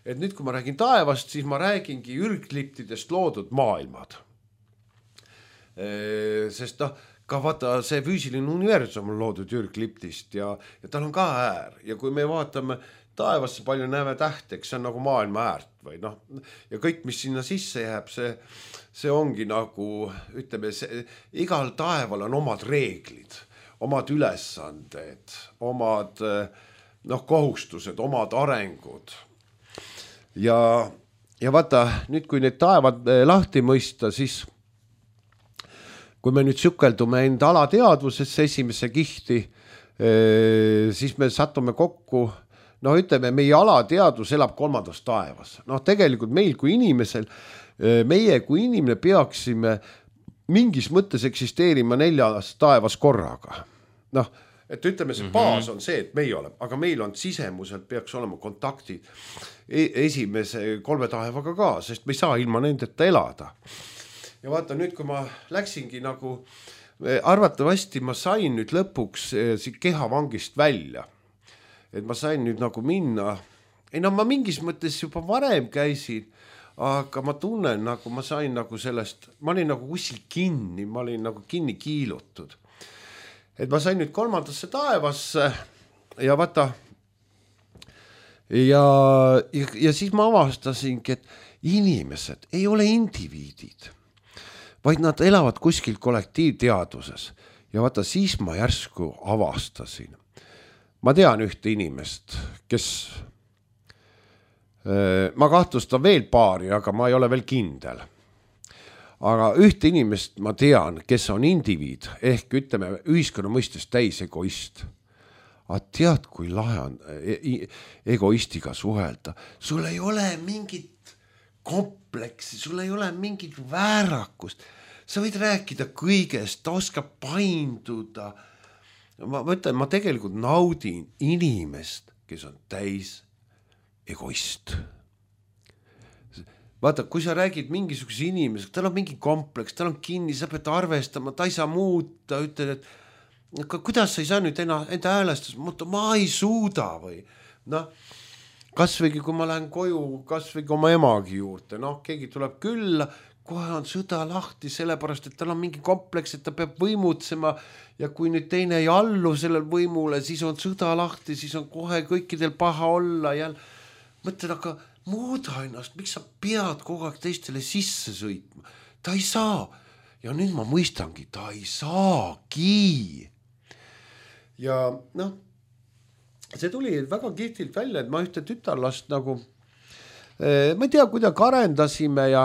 Et nüüd, kui ma räägin taevast, siis ma räägingi ürgliptidest loodud maailmad. Sest noh, ka vaata see füüsiline universum on loodud ürgliptist ja, ja tal on ka äär ja kui me vaatame taevasse palju näeme tähteks, see on nagu maailma äärt või noh, ja kõik, mis sinna sisse jääb, see, see ongi nagu, ütleme, see, igal taeval on omad reeglid, omad ülesanded, omad noh, kohustused, omad arengud ja, ja vaata, nüüd kui need taevad lahti mõista, siis kui me nüüd sukeldume enda alateadvusesse esimesse kihti, siis me satume kokku, no ütleme, meie alateadvus elab kolmandas taevas. Noh, tegelikult meil kui inimesel, meie kui inimene peaksime mingis mõttes eksisteerima neljas taevas korraga. Noh, et ütleme, see baas on see, et meie oleme, aga meil on sisemuselt peaks olema kontaktid esimese kolme taevaga ka, sest me ei saa ilma nendeta elada. Ja vaata nüüd, kui ma läksingi nagu, arvatavasti ma sain nüüd lõpuks siit kehavangist välja. Et ma sain nüüd nagu minna, ei no ma mingis mõttes juba varem käisin, aga ma tunnen nagu ma sain nagu sellest, ma olin nagu kuskil kinni, ma olin nagu kinni kiilutud. Et ma sain nüüd kolmandasse taevasse ja vaata, ja, ja, ja siis ma avastasingi, et inimesed ei ole indiviidid, vaid nad elavad kuskil kollektiivteaduses. Ja vaata, siis ma järsku avastasin. Ma tean ühte inimest, kes, ma kahtlustan veel paari, aga ma ei ole veel kindel. Aga ühte inimest ma tean, kes on indiviid, ehk ütleme ühiskonna mõistes täis egoist. aga tead, kui lahe on egoistiga suhelda, sul ei ole mingit kompleksi, sul ei ole mingit väärakust, sa võid rääkida kõigest, ta oskab painduda. Ma mõtlen, ma tegelikult naudin inimest, kes on täis egoist. Vaata, kui sa räägid mingisuguse inimesega, tal on mingi kompleks, tal on kinni, sa pead arvestama, ta ei saa muuta, ütled, et aga kuidas sa ei saa nüüd enda, enda häälestus muuta, ma ei suuda või noh, kasvõigi kui ma lähen koju, kasvõigi oma emagi juurde, noh, keegi tuleb külla, kohe on sõda lahti, sellepärast, et tal on mingi kompleks, et ta peab võimutsema ja kui nüüd teine ei allu sellel võimule, siis on sõda lahti, siis on kohe kõikidel paha olla ja mõtled, aga muuda ennast, miks sa pead kogu aeg teistele sisse sõitma? Ta ei saa. Ja nüüd ma mõistangi, ta ei saagi. Ja noh, see tuli väga kihtilt välja, et ma ühte tütarlast nagu, ma ei tea, kuidagi arendasime ja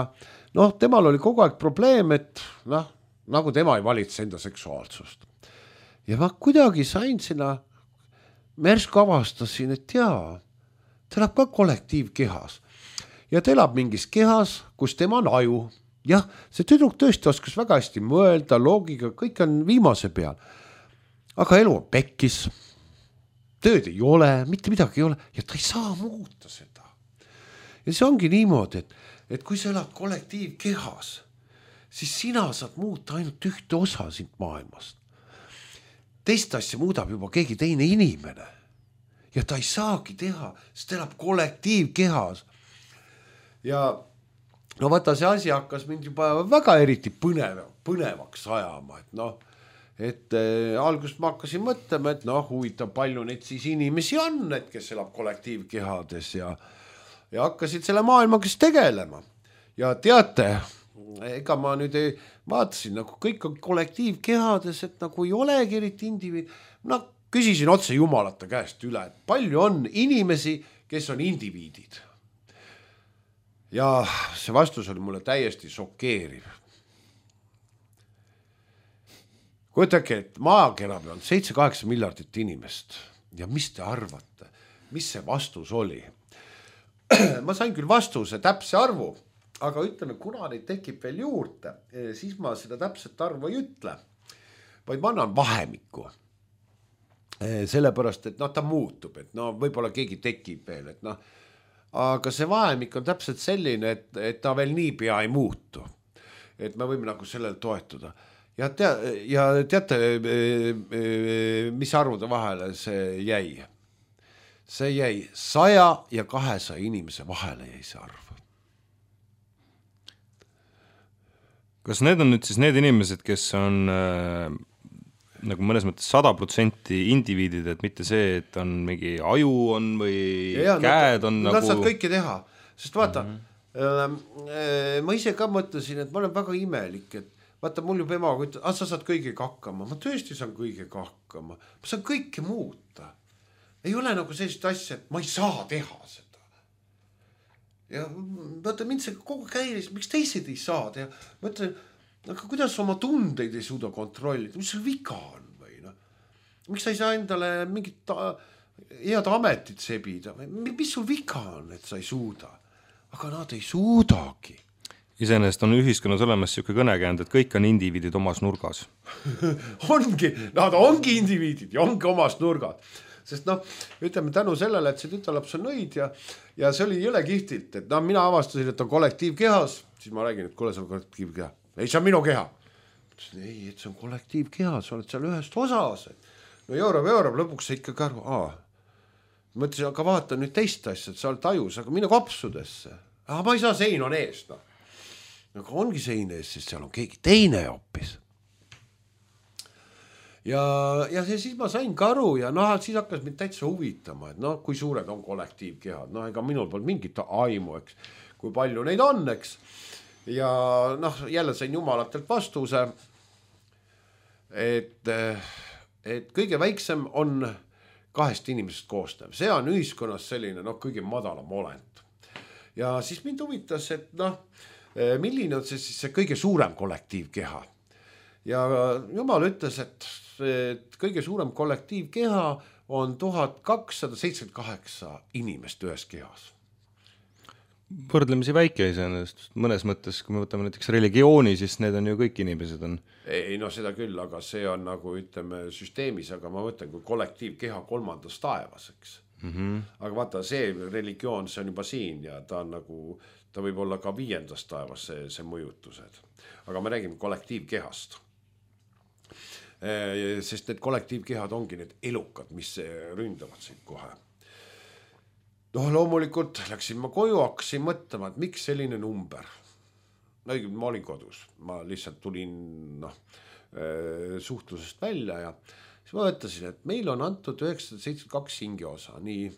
noh, temal oli kogu aeg probleem, et noh, nagu tema ei valitse enda seksuaalsust. Ja ma kuidagi sain sinna, märsku avastasin, et jaa, ta elab ka kollektiivkehas. Ja ta elab mingis kehas, kus tema on aju. Jah, see tüdruk tõesti oskas väga hästi mõelda, loogiga, kõik on viimase peal. Aga elu on pekkis, tööd ei ole, mitte midagi ei ole ja ta ei saa muuta seda. Ja see ongi niimoodi, et, et kui sa elad kollektiivkehas, siis sina saad muuta ainult ühte osa sind maailmast. Teist asja muudab juba keegi teine inimene. Ja ta ei saagi teha, sest ta elab kollektiivkehas. Ja no vaata, see asi hakkas mind juba väga eriti põnev, põnevaks ajama, et noh, et äh, algust ma hakkasin mõtlema, et noh, huvitav palju neid siis inimesi on, et kes elab kollektiivkehades ja, ja hakkasid selle maailmaga tegelema. Ja teate, ega ma nüüd ei vaatasin, nagu kõik on kollektiivkehades, et nagu ei olegi eriti indiviid, noh, küsisin otse jumalate käest üle, et palju on inimesi, kes on indiviidid. Ja see vastus oli mulle täiesti šokeeriv. Kujutage, et maakera peal on seitse kaheksa miljardit inimest. Ja mis te arvate? Mis see vastus oli? Ma sain küll vastuse täpse arvu, aga ütleme, kuna neid tekib veel juurde, siis ma seda täpset arvu ei ütle, vaid ma annan vahemikku. Sellepärast, et noh, ta muutub, et no võib-olla keegi tekib veel, et noh, aga see vahemik on täpselt selline, et, et ta veel nii pea ei muutu. Et me võime nagu sellel toetuda. Ja, tea, ja teate, mis arvude vahele see jäi? See jäi saja ja kahesaja inimese vahele jäi see arv. Kas need on nüüd siis need inimesed, kes on äh, nagu mõnes mõttes sada protsenti indiviidid, et mitte see, et on mingi aju on või ja, käed on nad, nagu... Nad saad kõike teha, sest vaata, mm-hmm. äh, ma ise ka mõtlesin, et ma olen väga imelik, et vaata, mul juba emaga ütleb, ah, sa saad kõigega hakkama, ma tõesti saan kõigega hakkama, ma saan kõike muuta. Ei ole nagu sellist asja, et ma ei saa teha seda. Ja vaata, mind see kogu käilis, miks teised ei saa teha? Ma ütlen, aga kuidas oma tundeid ei suuda kontrollida? Mis sul viga on või? No? Miks sa ei saa endale mingit ta, head ametit sebida? Mis sul viga on, et sa ei suuda? Aga nad ei suudagi. Iseenesest on ühiskonnas olemas siuke kõnekäänd, et kõik on indiviidid omas nurgas. ongi, nad ongi indiviidid ja ongi omas nurgad. Sest noh, ütleme tänu sellele, et see tütarlaps on nõid ja, ja see oli jõle kihtilt, et noh, mina avastasin, et on kollektiivkehas, siis ma räägin, et kuule, see on kollektiivkeha. Ei, see on minu keha. Ei, et see on kollektiivkeha, sa oled seal ühest osas. No joorab, joorab, lõpuks sa ikka karvu. Aa. Mõtlesin, aga vaata nüüd teist asja, et sa oled tajus, aga mine kopsudesse. Aha, ma ei saa, sein on ees. No. Aga ongi sein ees, sest seal on keegi teine hoopis. Ja, ja siis ma sain karu ja noh, siis hakkas mind täitsa huvitama, et noh, kui suured on kollektiivkehad. Noh, ega minul pole mingit aimu, eks, kui palju neid on, eks. Ja noh, jälle sain jumalatelt vastuse, et, et kõige väiksem on kahest inimesest koosnev. See on ühiskonnas selline noh, kõige madalam olend. Ja siis mind huvitas, et noh, milline on see siis see kõige suurem kollektiivkeha. Ja jumal ütles, et, et kõige suurem kollektiivkeha on tuhat kakssada seitsekümmend kaheksa inimest ühes kehas. Võrdlemisi väike iseenesest, mõnes mõttes, kui me võtame näiteks religiooni, siis need on ju kõik inimesed on. Ei, no seda küll, aga see on nagu ütleme süsteemis, aga ma mõtlen, kui kollektiivkeha kolmandas taevas, eks. Mm-hmm. Aga vaata, see religioon, see on juba siin ja ta on nagu, ta võib olla ka viiendas taevas see, see mõjutused. Aga me räägime kollektiivkehast. Sest need kollektiivkehad ongi need elukad, mis ründavad sind kohe. No loomulikult läksin ma koju, hakkasin mõtlema, et miks selline number. No, ma olin kodus, ma lihtsalt tulin no, suhtlusest välja ja siis ma mõtlesin, et meil on antud üheksasada seitsekümmend kaks hingiosa, nii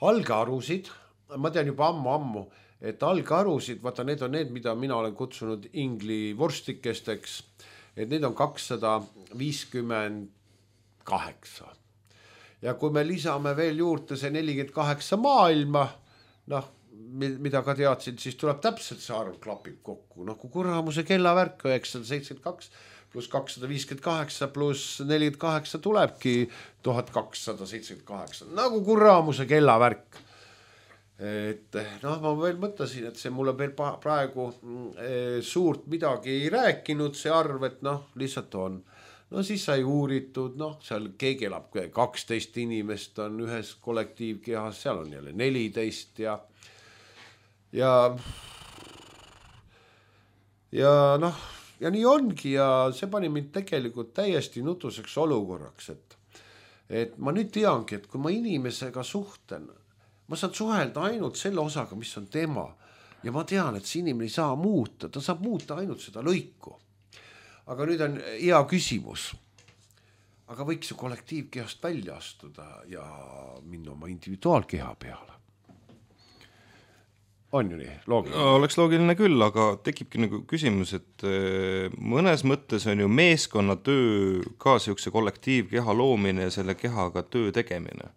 algarusid, ma tean juba ammu-ammu, et algarusid, vaata need on need, mida mina olen kutsunud ingli vorstikesteks, et need on kakssada viiskümmend kaheksa. Ja kui me lisame veel juurde see nelikümmend kaheksa maailma, noh, mida ka teadsin, siis tuleb täpselt see arv klapib kokku. Noh, kui kuramuse kellavärk üheksasada seitsekümmend kaks pluss kakssada viiskümmend kaheksa pluss nelikümmend kaheksa tulebki tuhat kakssada seitsekümmend kaheksa. Nagu kuramuse kellavärk. Et noh, ma veel mõtlesin, et see mulle veel praegu suurt midagi ei rääkinud, see arv, et noh, lihtsalt on. No siis sai uuritud, noh, seal keegi elab kaksteist inimest on ühes kollektiivkehas, seal on jälle neliteist ja ja ja noh, ja nii ongi ja see pani mind tegelikult täiesti nutuseks olukorraks, et et ma nüüd teangi, et kui ma inimesega suhten, ma saan suhelda ainult selle osaga, mis on tema ja ma tean, et see inimene ei saa muuta, ta saab muuta ainult seda lõiku. Aga nüüd on hea küsimus. Aga võiks ju kollektiivkehast välja astuda ja minna oma individuaalkeha peale. On ju nii, loogiline? Oleks loogiline küll, aga tekibki nagu küsimus, et mõnes mõttes on ju meeskonnatöö ka siukse kollektiivkeha loomine ja selle kehaga töö tegemine.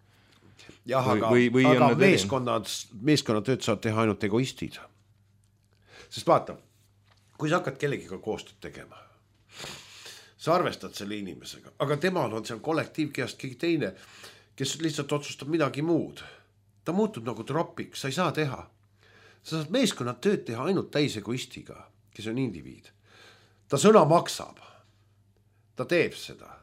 Jah, aga, või, või aga meeskonnad, meeskonnatööd saab teha ainult egoistid. Sest vaata, kui sa hakkad kellegiga koostööd tegema, sa arvestad selle inimesega, aga temal on seal kollektiivkehast keegi teine, kes lihtsalt otsustab midagi muud. Ta muutub nagu tropiks, sa ei saa teha. Sa saad meeskonnad tööd teha ainult täisegoistiga, kes on indiviid. Ta sõna maksab. Ta teeb seda.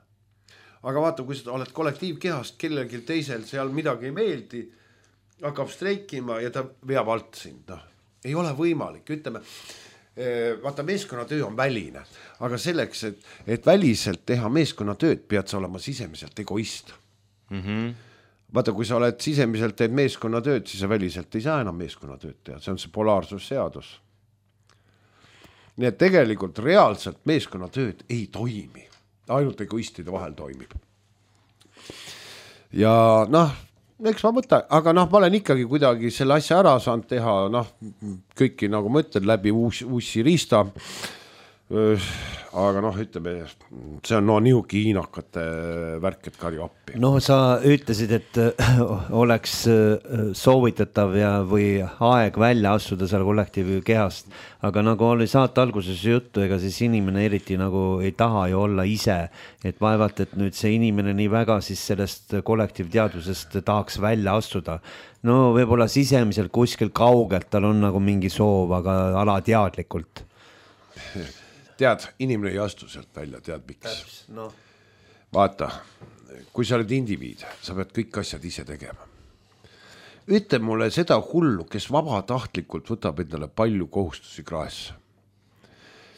Aga vaata, kui sa oled kollektiivkehast, kellelgi teisel seal midagi ei meeldi, hakkab streikima ja ta veab alt sind. No, ei ole võimalik, ütleme, vaata meeskonnatöö on väline, aga selleks, et, et väliselt teha meeskonnatööd, pead sa olema sisemiselt egoist. Mm-hmm. Vaata, kui sa oled sisemiselt teed meeskonnatööd, siis sa väliselt ei saa enam meeskonnatööd teha, see on see polaarsusseadus. Nii et tegelikult reaalselt meeskonnatööd ei toimi, ainult egoistide vahel toimib. Ja noh, eks ma mõtlen, aga noh, ma olen ikkagi kuidagi selle asja ära saanud teha, noh, kõiki nagu mõtlen läbi uusi, uusi riista, aga noh, ütleme, see on no nihugi hiinakate värk, et karju appi. No sa ütlesid, et oleks soovitatav ja või aeg välja astuda seal kollektiivkehast, aga nagu oli saate alguses juttu, ega siis inimene eriti nagu ei taha ju olla ise, et vaevalt, et nüüd see inimene nii väga siis sellest kollektiivteadusest tahaks välja astuda. No võib-olla sisemiselt kuskil kaugelt tal on nagu mingi soov, aga alateadlikult. Tead, inimene ei astu sealt välja, tead miks. No. Vaata, kui sa oled indiviid, sa pead kõik asjad ise tegema. Ütle mulle seda hullu, kes vabatahtlikult võtab endale palju kohustusi kraesse.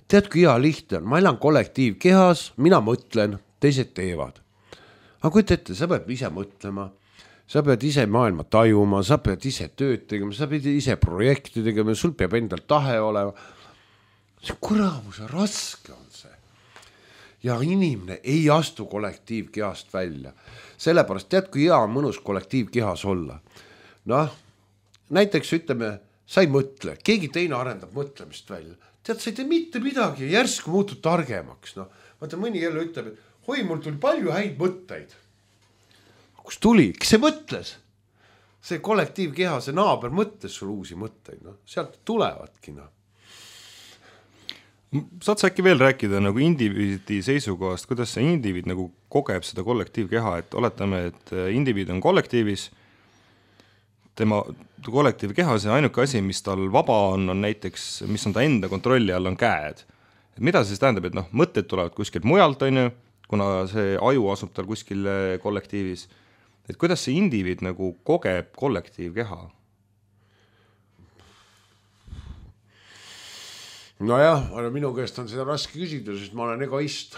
Tead, kui hea lihtne on, ma elan kollektiivkehas, mina mõtlen, teised teevad. Aga kui ette, sa pead ise mõtlema, sa pead ise maailma tajuma, sa pead ise tööd tegema, sa pead ise projekti tegema, sul peab endal tahe olema. See kuramuse raske on see. Ja inimene ei astu kollektiivkehast välja. Sellepärast tead, kui hea on mõnus kollektiivkehas olla. Noh, näiteks ütleme, sa ei mõtle, keegi teine arendab mõtlemist välja. Tead, sa ei tee mitte midagi ja järsku muutud targemaks. No, vaata, mõni jälle ütleb, et hoi, mul tuli palju häid mõtteid. Kus tuli? Kes see mõtles? See kollektiivkeha, see naaber mõtles sul uusi mõtteid. No, sealt tulevadki, noh. Saad sa äkki veel rääkida nagu indiviidi seisukohast, kuidas see indiviid nagu kogeb seda kollektiivkeha, et oletame, et indiviid on kollektiivis, tema kollektiivkeha, see ainuke asi, mis tal vaba on, on näiteks, mis on ta enda kontrolli all, on käed. Et mida see siis tähendab, et noh, mõtted tulevad kuskilt mujalt, on ju, kuna see aju asub tal kuskil kollektiivis, et kuidas see indiviid nagu kogeb kollektiivkeha? Nojah, minu käest on seda raske küsida, sest ma olen egoist.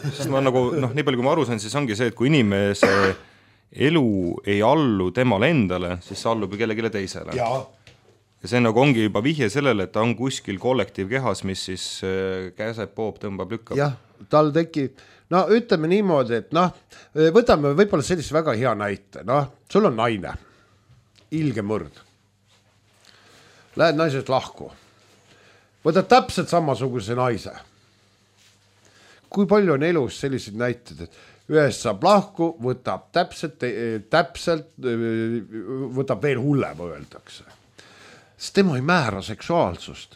Sest ma nagu, noh, nii palju kui ma aru sain, siis ongi see, et kui inimese elu ei allu temale endale, siis see allub kellegile teisele. Ja. ja see nagu ongi juba vihje sellele, et ta on kuskil kollektiivkehas, mis siis käseb, poob, tõmbab, lükkab. Jah, tal tekib, no ütleme niimoodi, et noh, võtame võib-olla sellise väga hea näite, noh, sul on naine, ilge mõrd. Lähed naisest lahku. Võtad täpselt samasuguse naise. Kui palju on elus sellised näited, et ühest saab lahku, võtab täpselt, täpselt, võtab veel hullem, öeldakse. Sest tema ei määra seksuaalsust.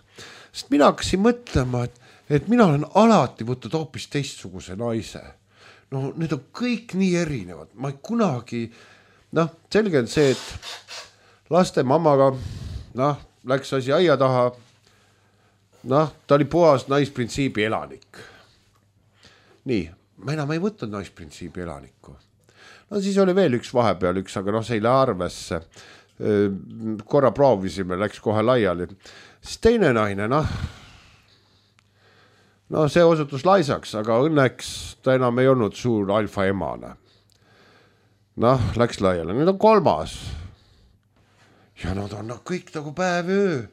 Sest mina hakkasin mõtlema, et, et mina olen alati võtnud hoopis teistsuguse naise. No need on kõik nii erinevad. Ma ei kunagi, noh, selge on see, et laste mamaga, noh, läks asi aia taha. Noh, ta oli puhas naisprintsiibi elanik. Nii, ma enam ei võtnud naisprintsiibi elanikku. No siis oli veel üks vahepeal üks, aga noh, see ei lähe arvesse. Korra proovisime, läks kohe laiali. Siis teine naine, noh, no see osutus laisaks, aga õnneks ta enam ei olnud suur alfa emane. Noh, läks laiali. Nüüd on kolmas. Ja nad on no, kõik nagu päev öö.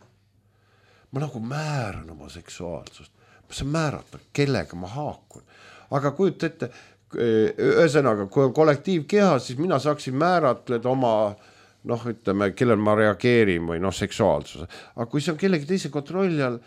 Ma nagu määran oma seksuaalsust. Ma saan määrata, kellega ma haakun. Aga kujut ette, ühesõnaga, kui on kollektiivkeha, siis mina saaksin määratleda oma, noh, ütleme, kellel ma reageerin või noh, seksuaalsuse. Aga kui see on kellegi teise kontrolli all,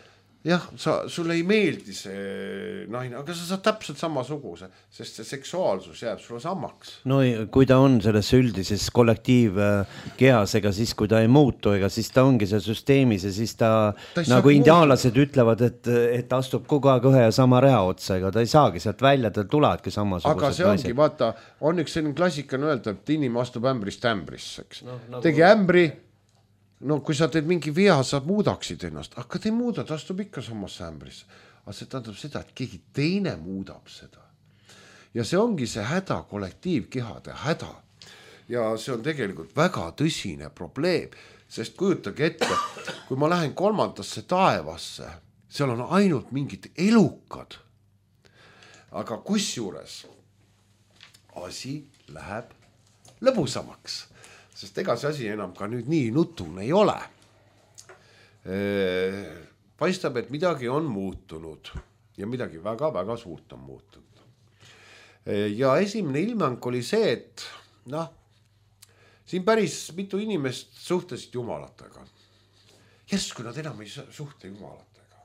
jah, sa, sulle ei meeldi see naine, aga sa saad täpselt samasuguse, sest see seksuaalsus jääb sulle samaks. No kui ta on selles üldises kollektiivkehas, ega siis kui ta ei muutu, ega siis ta ongi see süsteemis ja siis ta, ta nagu indiaalased ütlevad, et, et ta astub kogu aeg ühe ja sama rea otsa, ega ta ei saagi sealt välja, ta tulevadki samasugused aga see ongi, naised. Vaata, on üks selline klassikane öelda, et inim astub ämbrist ämbrisse, eks. No, nagu... Tegi ämbri, no kui sa teed mingi vea, sa muudaksid ennast, aga te ei muuda, ta astub ikka samasse ämbrisse. Aga see tähendab seda, et keegi teine muudab seda. Ja see ongi see häda, kollektiivkehade häda. Ja see on tegelikult väga tõsine probleem, sest kujutage ette, kui ma lähen kolmandasse taevasse, seal on ainult mingid elukad. Aga kusjuures asi läheb lõbusamaks. Sest ega see asi enam ka nüüd nii nutune ei ole. Paistab, et midagi on muutunud ja midagi väga-väga suurt on muutunud. Ja esimene ilmang oli see, et noh, siin päris mitu inimest suhtlesid jumalatega. Järsku nad enam ei suhtle jumalatega.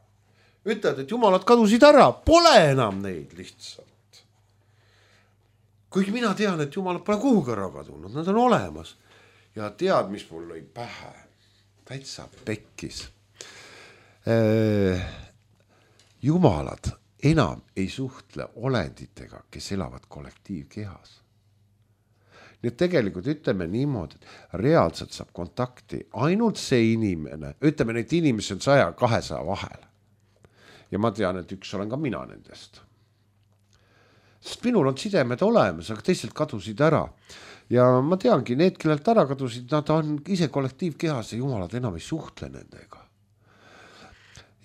Ütlevad, et jumalad kadusid ära, pole enam neid lihtsalt. Kuigi mina tean, et jumalad pole kuhugi ära kadunud, nad on olemas. Ja tead, mis mul lõi pähe. Täitsa pekkis. Jumalad enam ei suhtle olenditega, kes elavad kollektiivkehas. Nii et tegelikult ütleme niimoodi, et reaalselt saab kontakti ainult see inimene, ütleme, neid inimesi on saja kahesaja vahel. Ja ma tean, et üks olen ka mina nendest. Sest minul on sidemed olemas, aga teised kadusid ära. Ja ma teangi, need, kellelt ära kadusid, nad on ise kollektiivkehas ja jumalad enam ei suhtle nendega.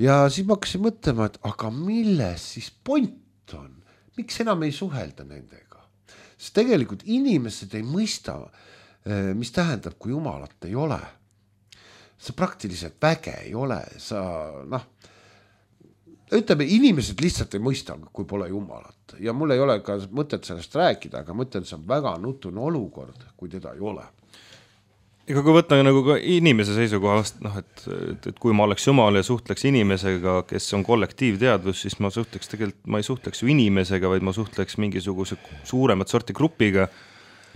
Ja siis ma hakkasin mõtlema, et aga milles siis point on? Miks enam ei suhelda nendega? Sest tegelikult inimesed ei mõista, mis tähendab, kui jumalat ei ole. Sa praktiliselt väge ei ole. Sa, noh, ütleme, inimesed lihtsalt ei mõista, kui pole jumalat. Ja mul ei ole ka mõtet sellest rääkida, aga mõtlen, see on väga nutune olukord, kui teda ei ole. Ega kui võtta nagu ka inimese seisukohast, noh, et, et, et kui ma oleks jumal ja suhtleks inimesega, kes on kollektiivteadvus, siis ma suhtleks tegelikult, ma ei suhtleks ju inimesega, vaid ma suhtleks mingisuguse suuremat sorti grupiga.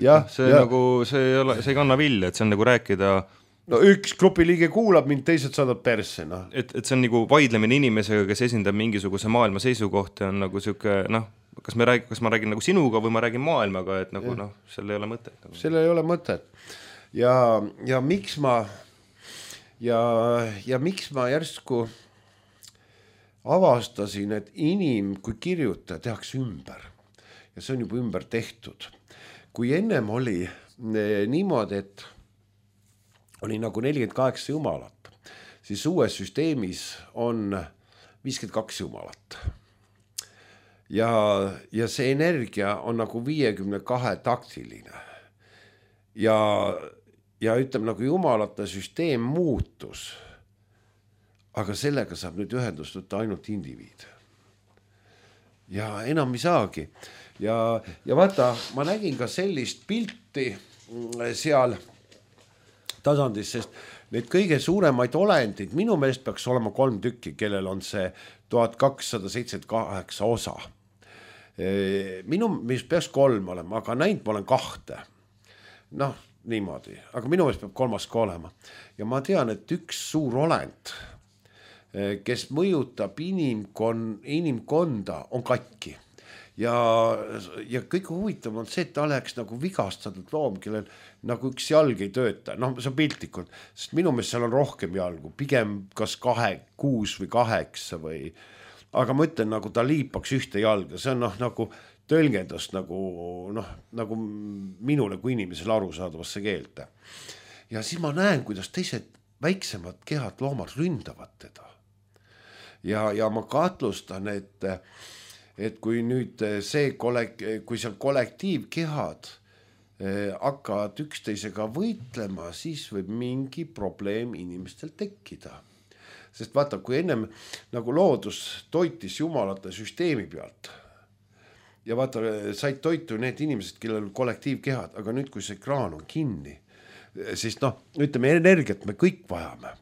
Ja, see, ja. Nagu, see, ei ole, see ei kanna vilja, et see on nagu rääkida no üks grupi liige kuulab mind, teised saadab persse, noh. Et, et see on nagu vaidlemine inimesega, kes esindab mingisuguse maailma seisukohti, on nagu siuke, noh, kas, me rääg, kas ma räägin nagu sinuga või ma räägin maailmaga, et nagu, noh, seal ei ole mõtet. Nagu. Seal ei ole mõtet. Ja, ja miks ma, ja, ja miks ma järsku avastasin, et inim, kui kirjuta, tehakse ümber. Ja see on juba ümber tehtud. Kui ennem oli niimoodi, et oli nagu nelikümmend kaheksa jumalat, siis uues süsteemis on viiskümmend kaks jumalat. Ja, ja see energia on nagu viiekümne kahe taktiline. Ja, ja ütleme nagu jumalate süsteem muutus, aga sellega saab nüüd ühendustuda ainult indiviid. Ja enam ei saagi. Ja, ja vaata, ma nägin ka sellist pilti seal tasandis, sest need kõige suuremaid olendid, minu meelest peaks olema kolm tükki, kellel on see tuhat kakssada seitsekümmend kaheksa osa. Minu meelest peaks kolm olema, aga näinud ma olen kahte. Noh, niimoodi, aga minu meelest peab kolmas ka olema. Ja ma tean, et üks suur olend, kes mõjutab inimkon, inimkonda, on katki. Ja, ja kõige huvitav on see, et ta oleks nagu vigastatud loom, kellel nagu üks jalg ei tööta. Noh, see on piltlikult, sest minu meelest seal on rohkem jalgu, pigem kas kahe, kuus või kaheksa või, aga ma ütlen, nagu ta liipaks ühte jalga, see on noh, nagu tõlgendust nagu, noh, nagu minule kui inimesele aru saadavasse keelde. Ja siis ma näen, kuidas teised väiksemad kehad loomad ründavad teda. Ja, ja ma katlustan, et et kui nüüd see kollek, kui seal kollektiivkehad eh, hakkavad üksteisega võitlema, siis võib mingi probleem inimestel tekkida. Sest vaata, kui ennem nagu loodus toitis jumalate süsteemi pealt ja vaata, said toitu need inimesed, kellel on kollektiivkehad, aga nüüd, kui see kraan on kinni, siis noh, ütleme, energiat me kõik vajame.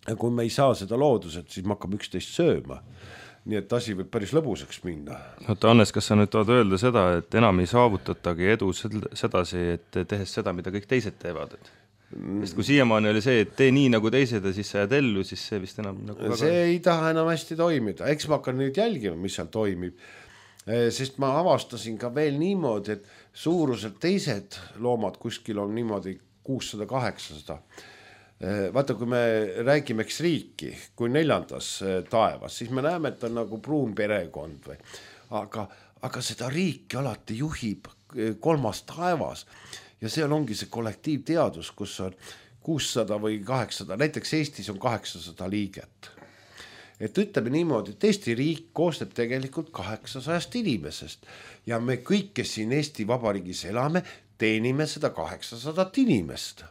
Ja kui me ei saa seda looduselt, siis me hakkame üksteist sööma. Nii et asi võib päris lõbuseks minna. Oota, Hannes, kas sa nüüd tahad öelda seda, et enam ei saavutatagi edu sedasi, et tehes seda, mida kõik teised teevad? Et... Sest kui siiamaani oli see, et tee nii nagu teised ja siis sa jääd ellu, siis see vist enam nagu väga... See ei taha enam hästi toimida. Eks ma hakkan nüüd jälgima, mis seal toimib. Sest ma avastasin ka veel niimoodi, et suuruselt teised loomad kuskil on niimoodi kuussada kaheksasada. Vaata, kui me räägime eks riiki, kui neljandas taevas, siis me näeme, et on nagu pruun perekond või. Aga, aga seda riiki alati juhib kolmas taevas ja seal ongi see kollektiivteadus, kus on kuussada või kaheksasada, näiteks Eestis on kaheksasada liiget. Et ütleme niimoodi, et Eesti riik koosneb tegelikult kaheksasajast inimesest ja me kõik, kes siin Eesti Vabariigis elame, teenime seda kaheksasadat inimest.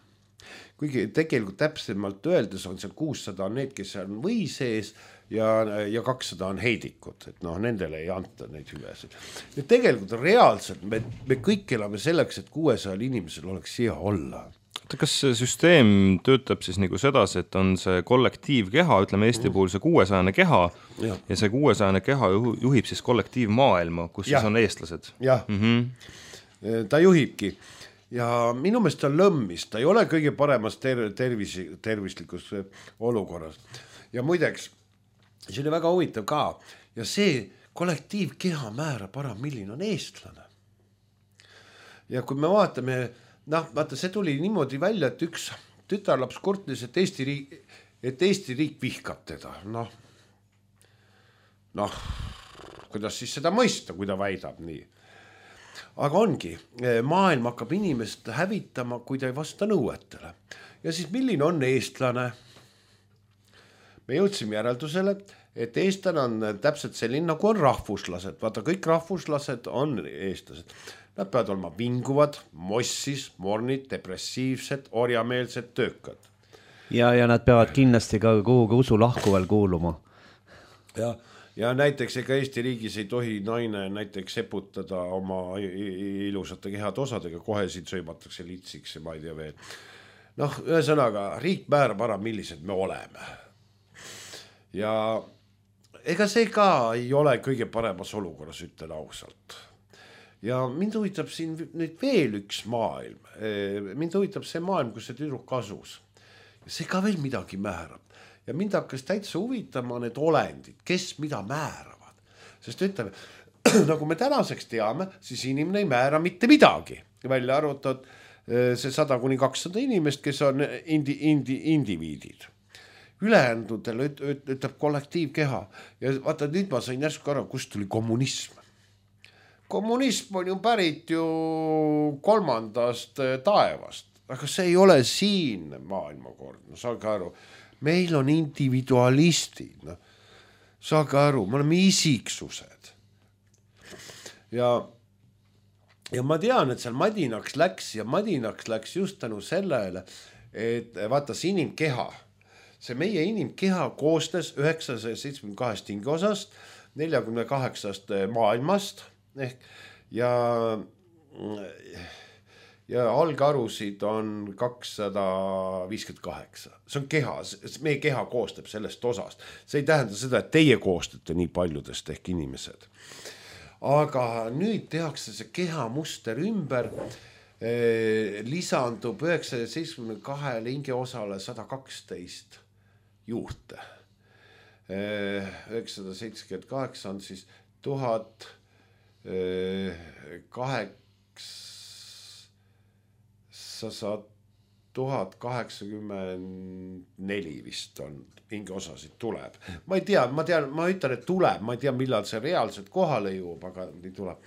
Kuigi tegelikult täpsemalt öeldes on seal kuussada on need, kes on või sees ja, ja kakssada on heidikud, et noh, nendele ei anta neid hüvesid. Ja tegelikult reaalselt me, me kõik elame selleks, et kuuesajal inimesel oleks hea olla. Kas see süsteem töötab siis nagu sedasi, et on see kollektiivkeha, ütleme Eesti puhul see kuuesajane keha ja, ja see kuuesajane keha juhib siis kollektiivmaailma, kus ja. Siis on eestlased? Jah, mm-hmm. Ta juhibki. Ja minu meelest ta lõmmis, ta ei ole kõige paremas ter- tervis, tervislikus olukorras. Ja muideks, see oli väga huvitav ka. Ja see kollektiivkeha määrab ära, milline on eestlane. Ja kui me vaatame, noh, vaata, see tuli niimoodi välja, et üks tütarlaps kurtlis, et Eesti riik, et Eesti riik vihkab teda. Noh, noh, kuidas siis seda mõista, kui ta väidab nii. Aga ongi, maailm hakkab inimest hävitama, kui ta ei vasta nõuetele. Ja siis milline on eestlane? Me jõudsime järeldusele, et eestlane on täpselt selline, nagu on rahvuslased. Vaata, kõik rahvuslased on eestlased. Nad peavad olema vinguvad, mossis, mornid, depressiivsed, orjameelsed, töökad. Ja, ja nad peavad kindlasti ka kuhugi usu lahkuval kuuluma. Ja Ja näiteks ega Eesti riigis ei tohi naine näiteks seputada oma ilusate kehad osadega, kohe siit sõimatakse litsiks ja ma ei tea veel. Noh, ühesõnaga, riik määrab ära, millised me oleme. Ja ega see ka ei ole kõige paremas olukorras, ütlen ausalt. Ja mind huvitab siin nüüd veel üks maailm. Mind huvitab see maailm, kus see tüdruk asus. see ka veel midagi määrab. Ja mind hakkas täitsa huvitama need olendid, kes mida määravad. Sest ütleme, nagu me tänaseks teame, siis inimene ei määra mitte midagi. Välja arvatud see sada kuni kakssada inimest, kes on indi, indi, indiviidid. Ülejäändudel ütleb kollektiivkeha. Ja vaata, nüüd ma sain järsku aru, kust tuli kommunism. Kommunism on ju pärit ju kolmandast taevast. Aga see ei ole siin maailmakord. No, saage aru, meil on individualistid. No, saage aru, me oleme isiksused. Ja, ja ma tean, et seal madinaks läks ja madinaks läks just tänu sellele, et vaata see inimkeha. See meie inimkeha koostes üheksasaja seitsmekümne kahest hingeosast, neljakümne kaheksast maailmast ehk ja ja algarusid on kakssada viiskümmend kaheksa. See on keha, meie keha koostab sellest osast. See ei tähenda seda, et teie koostate nii paljudest ehk inimesed. Aga nüüd tehakse see keha muster ümber, eh, lisandub üheksasaja seitsmekümne kahele hingeosale sada kaksteist juurde. Eh, üheksasada seitsekümmend kaheksa on siis tuhat kaheksa tuhat kaheksakümmend neli vist on hingeosasid tuleb. Ma ei tea, ma tean, ma ütlen, et tuleb, ma ei tea, millal see reaalselt kohale jõuab, aga nii tuleb.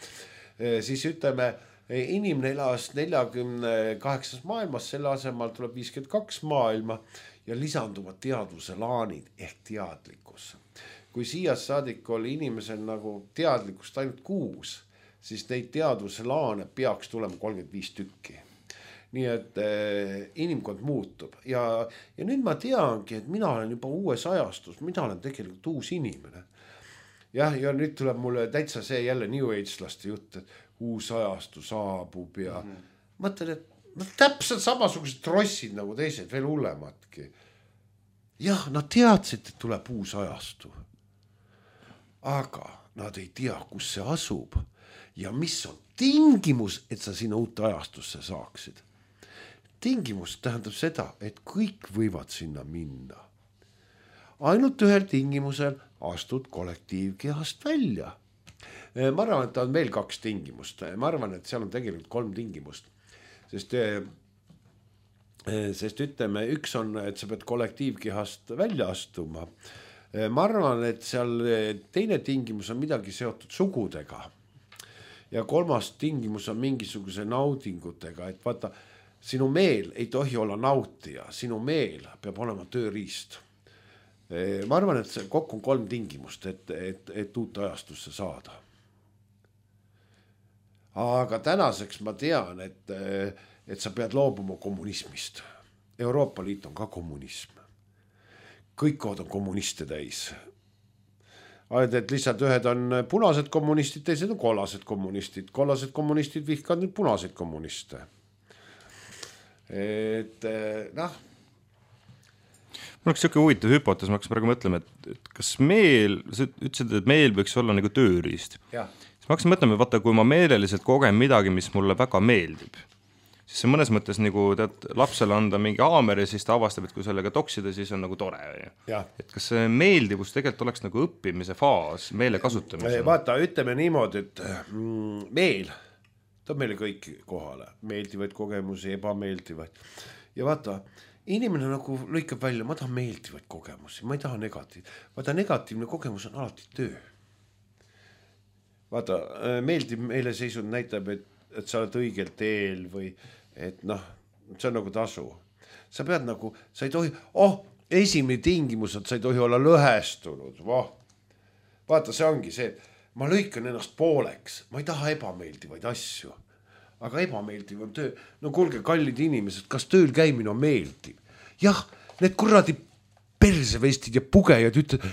Siis ütleme, inimene elas neljakümne kaheksas maailmas, selle asemel tuleb viiskümmend kaks maailma ja lisanduvad teadvuse laanid ehk teadlikkus. Kui siia saadik oli inimesel nagu teadlikkust ainult kuus, siis neid teadvuse laane peaks tulema kolmkümmend viis tükki. Nii et eh, inimkond muutub ja, ja nüüd ma teangi, et mina olen juba uues ajastus, mina olen tegelikult uus inimene. Jah, ja nüüd tuleb mulle täitsa see jälle New Age-laste jutt, et uus ajastu saabub ja mm-hmm. mõtlen, et no, täpselt samasugused trossid nagu teised, veel hullematki. Jah, nad teadsid, et tuleb uus ajastu. Aga nad ei tea, kus see asub ja mis on tingimus, et sa sinna uut ajastusse saaksid. Tingimus tähendab seda, et kõik võivad sinna minna. Ainult ühel tingimusel astud kollektiivkehast välja. Ma arvan, et on veel kaks tingimust. Ma arvan, et seal on tegelikult kolm tingimust. Sest, sest ütleme, üks on, et sa pead kollektiivkehast välja astuma. Ma arvan, et seal teine tingimus on midagi seotud sugudega. Ja kolmas tingimus on mingisuguse naudingutega, et vaata, sinu meel ei tohi olla nautija, sinu meel peab olema tööriist. Ma arvan, et see kokku on kolm tingimust, et, et, et uut ajastusse saada. Aga tänaseks ma tean, et, et sa pead loobuma kommunismist. Euroopa Liit on ka kommunism. Kõik kohad on kommuniste täis. Et lihtsalt ühed on punased kommunistid, teised on kollased kommunistid. Kollased kommunistid vihkavad nüüd punaseid kommuniste. Et noh. Mul oleks siuke huvitav hüpotees, ma hakkas praegu mõtlema, et, et kas meel, sa ütlesid, et meel võiks olla nagu tööriist. Ja. Siis ma hakkasin mõtlema, vaata, kui ma meeleliselt kogen midagi, mis mulle väga meeldib, siis see mõnes mõttes nagu tead, lapsele anda mingi haamer ja siis ta avastab, et kui sellega toksida, siis on nagu tore. Ja. Et kas see meeldivus tegelikult oleks nagu õppimise faas, meele kasutamise? Vaata, ütleme niimoodi, et mm, meel toob meile kõik kohale, meeldivaid kogemusi, ebameeldivaid. Ja vaata, inimene nagu lõikab välja, ma tahan meeldivaid kogemusi, ma ei taha negatiiv. Vaata, negatiivne kogemus on alati töö. Vaata, meeldiv meeleseisund näitab, et, et sa oled õigel teel või et noh, see on nagu tasu. Sa pead nagu, sa ei tohi, oh, esimene tingimus, et sa ei tohi olla lõhestunud. Voh. Vaata, see ongi see, et ma lõikan ennast pooleks, ma ei taha ebameeldivaid asju, aga ebameeldiv on töö. No kuulge, kallid inimesed, kas tööl käimine on meeldiv? Jah, need kuradi persevestid ja pugejad ütlevad,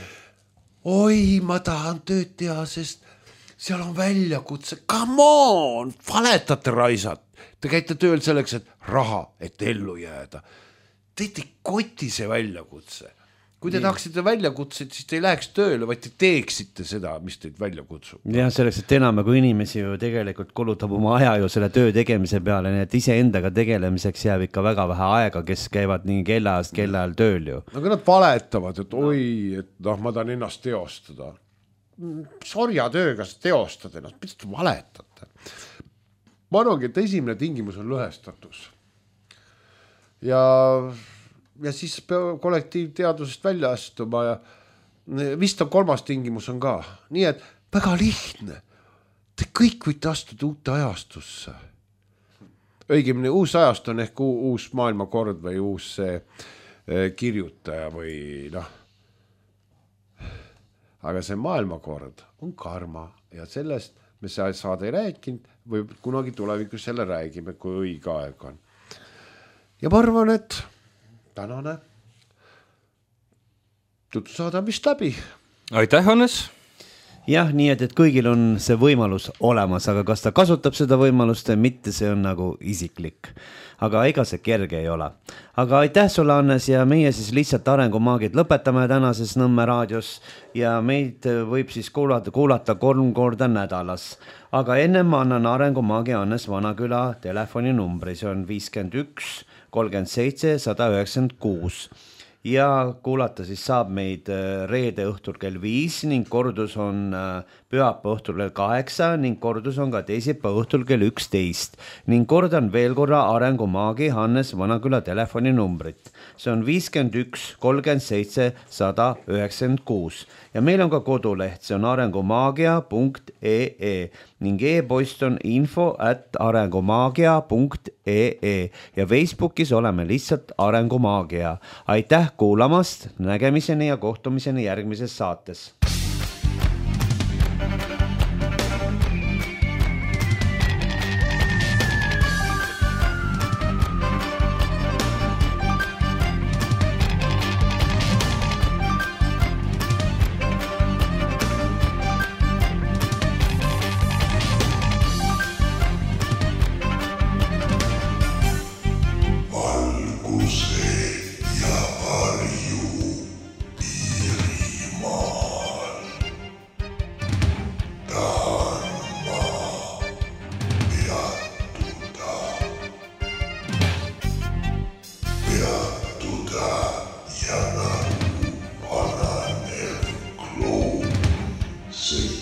oi, ma tahan tööd teha, sest seal on väljakutse. Come on, valetate raisad. Te käite tööl selleks, et raha, et ellu jääda. Teid ei koti see väljakutse. kui te tahaksite välja kutsuda, siis te ei läheks tööle, vaid te teeksite seda, mis teid välja kutsub. jah, selleks, et enam kui inimesi ju tegelikult kulutab oma aja ju selle töö tegemise peale, nii et iseendaga tegelemiseks jääb ikka väga vähe aega, kes käivad nii kellaajast kellaajal tööl ju. Aga nad valetavad, et oi, et noh, ma tahan ennast teostada. Sorja tööga sa teostad ennast, mida te valetate? Ma arvangi, et esimene tingimus on lõhestatus. Ja... ja siis peab kollektiivteadusest välja astuma ja vist on kolmas tingimus on ka. Nii et väga lihtne. Te kõik võite astuda uute ajastusse. Õigemini uus ajast on ehk uus maailmakord või uus see kirjutaja või noh. Aga see maailmakord on karma ja sellest me saada ei rääkinud või kunagi tulevikus selle räägime, kui õige aeg on. Ja ma arvan, et tänane tutusaada vist läbi. Aitäh, Hannes! Jah, nii et, et kõigil on see võimalus olemas, aga kas ta kasutab seda võimalust või mitte, see on nagu isiklik. Aga ega see kerge ei ole. Aga aitäh sulle, Hannes, ja meie siis lihtsalt arengumaagid lõpetame tänases Nõmme raadios ja meid võib siis kuulata, kuulata kolm korda nädalas. Aga enne ma annan arengumaagi Hannes Vanaküla telefoninumbri, see on viiskümmend üks kolmkümmend seitse sada üheksakümmend kuus ja kuulata siis saab meid reede õhtul kell viis ning kordus on pühapäeva õhtul kell kaheksa ning kordus on ka teisipäeva õhtul kell üksteist ning kordan veel korra arengumaagi Hannes Vanaküla telefoninumbrit. See on viiskümmend üks kolmkümmend seitse sada üheksakümmend kuus ja meil on ka koduleht, see on arengumaagia punkt ee ning e-post on info at arengumaagia punkt ee ja Facebookis oleme lihtsalt Arengumaagia. Aitäh kuulamast, nägemiseni ja kohtumiseni järgmises saates. See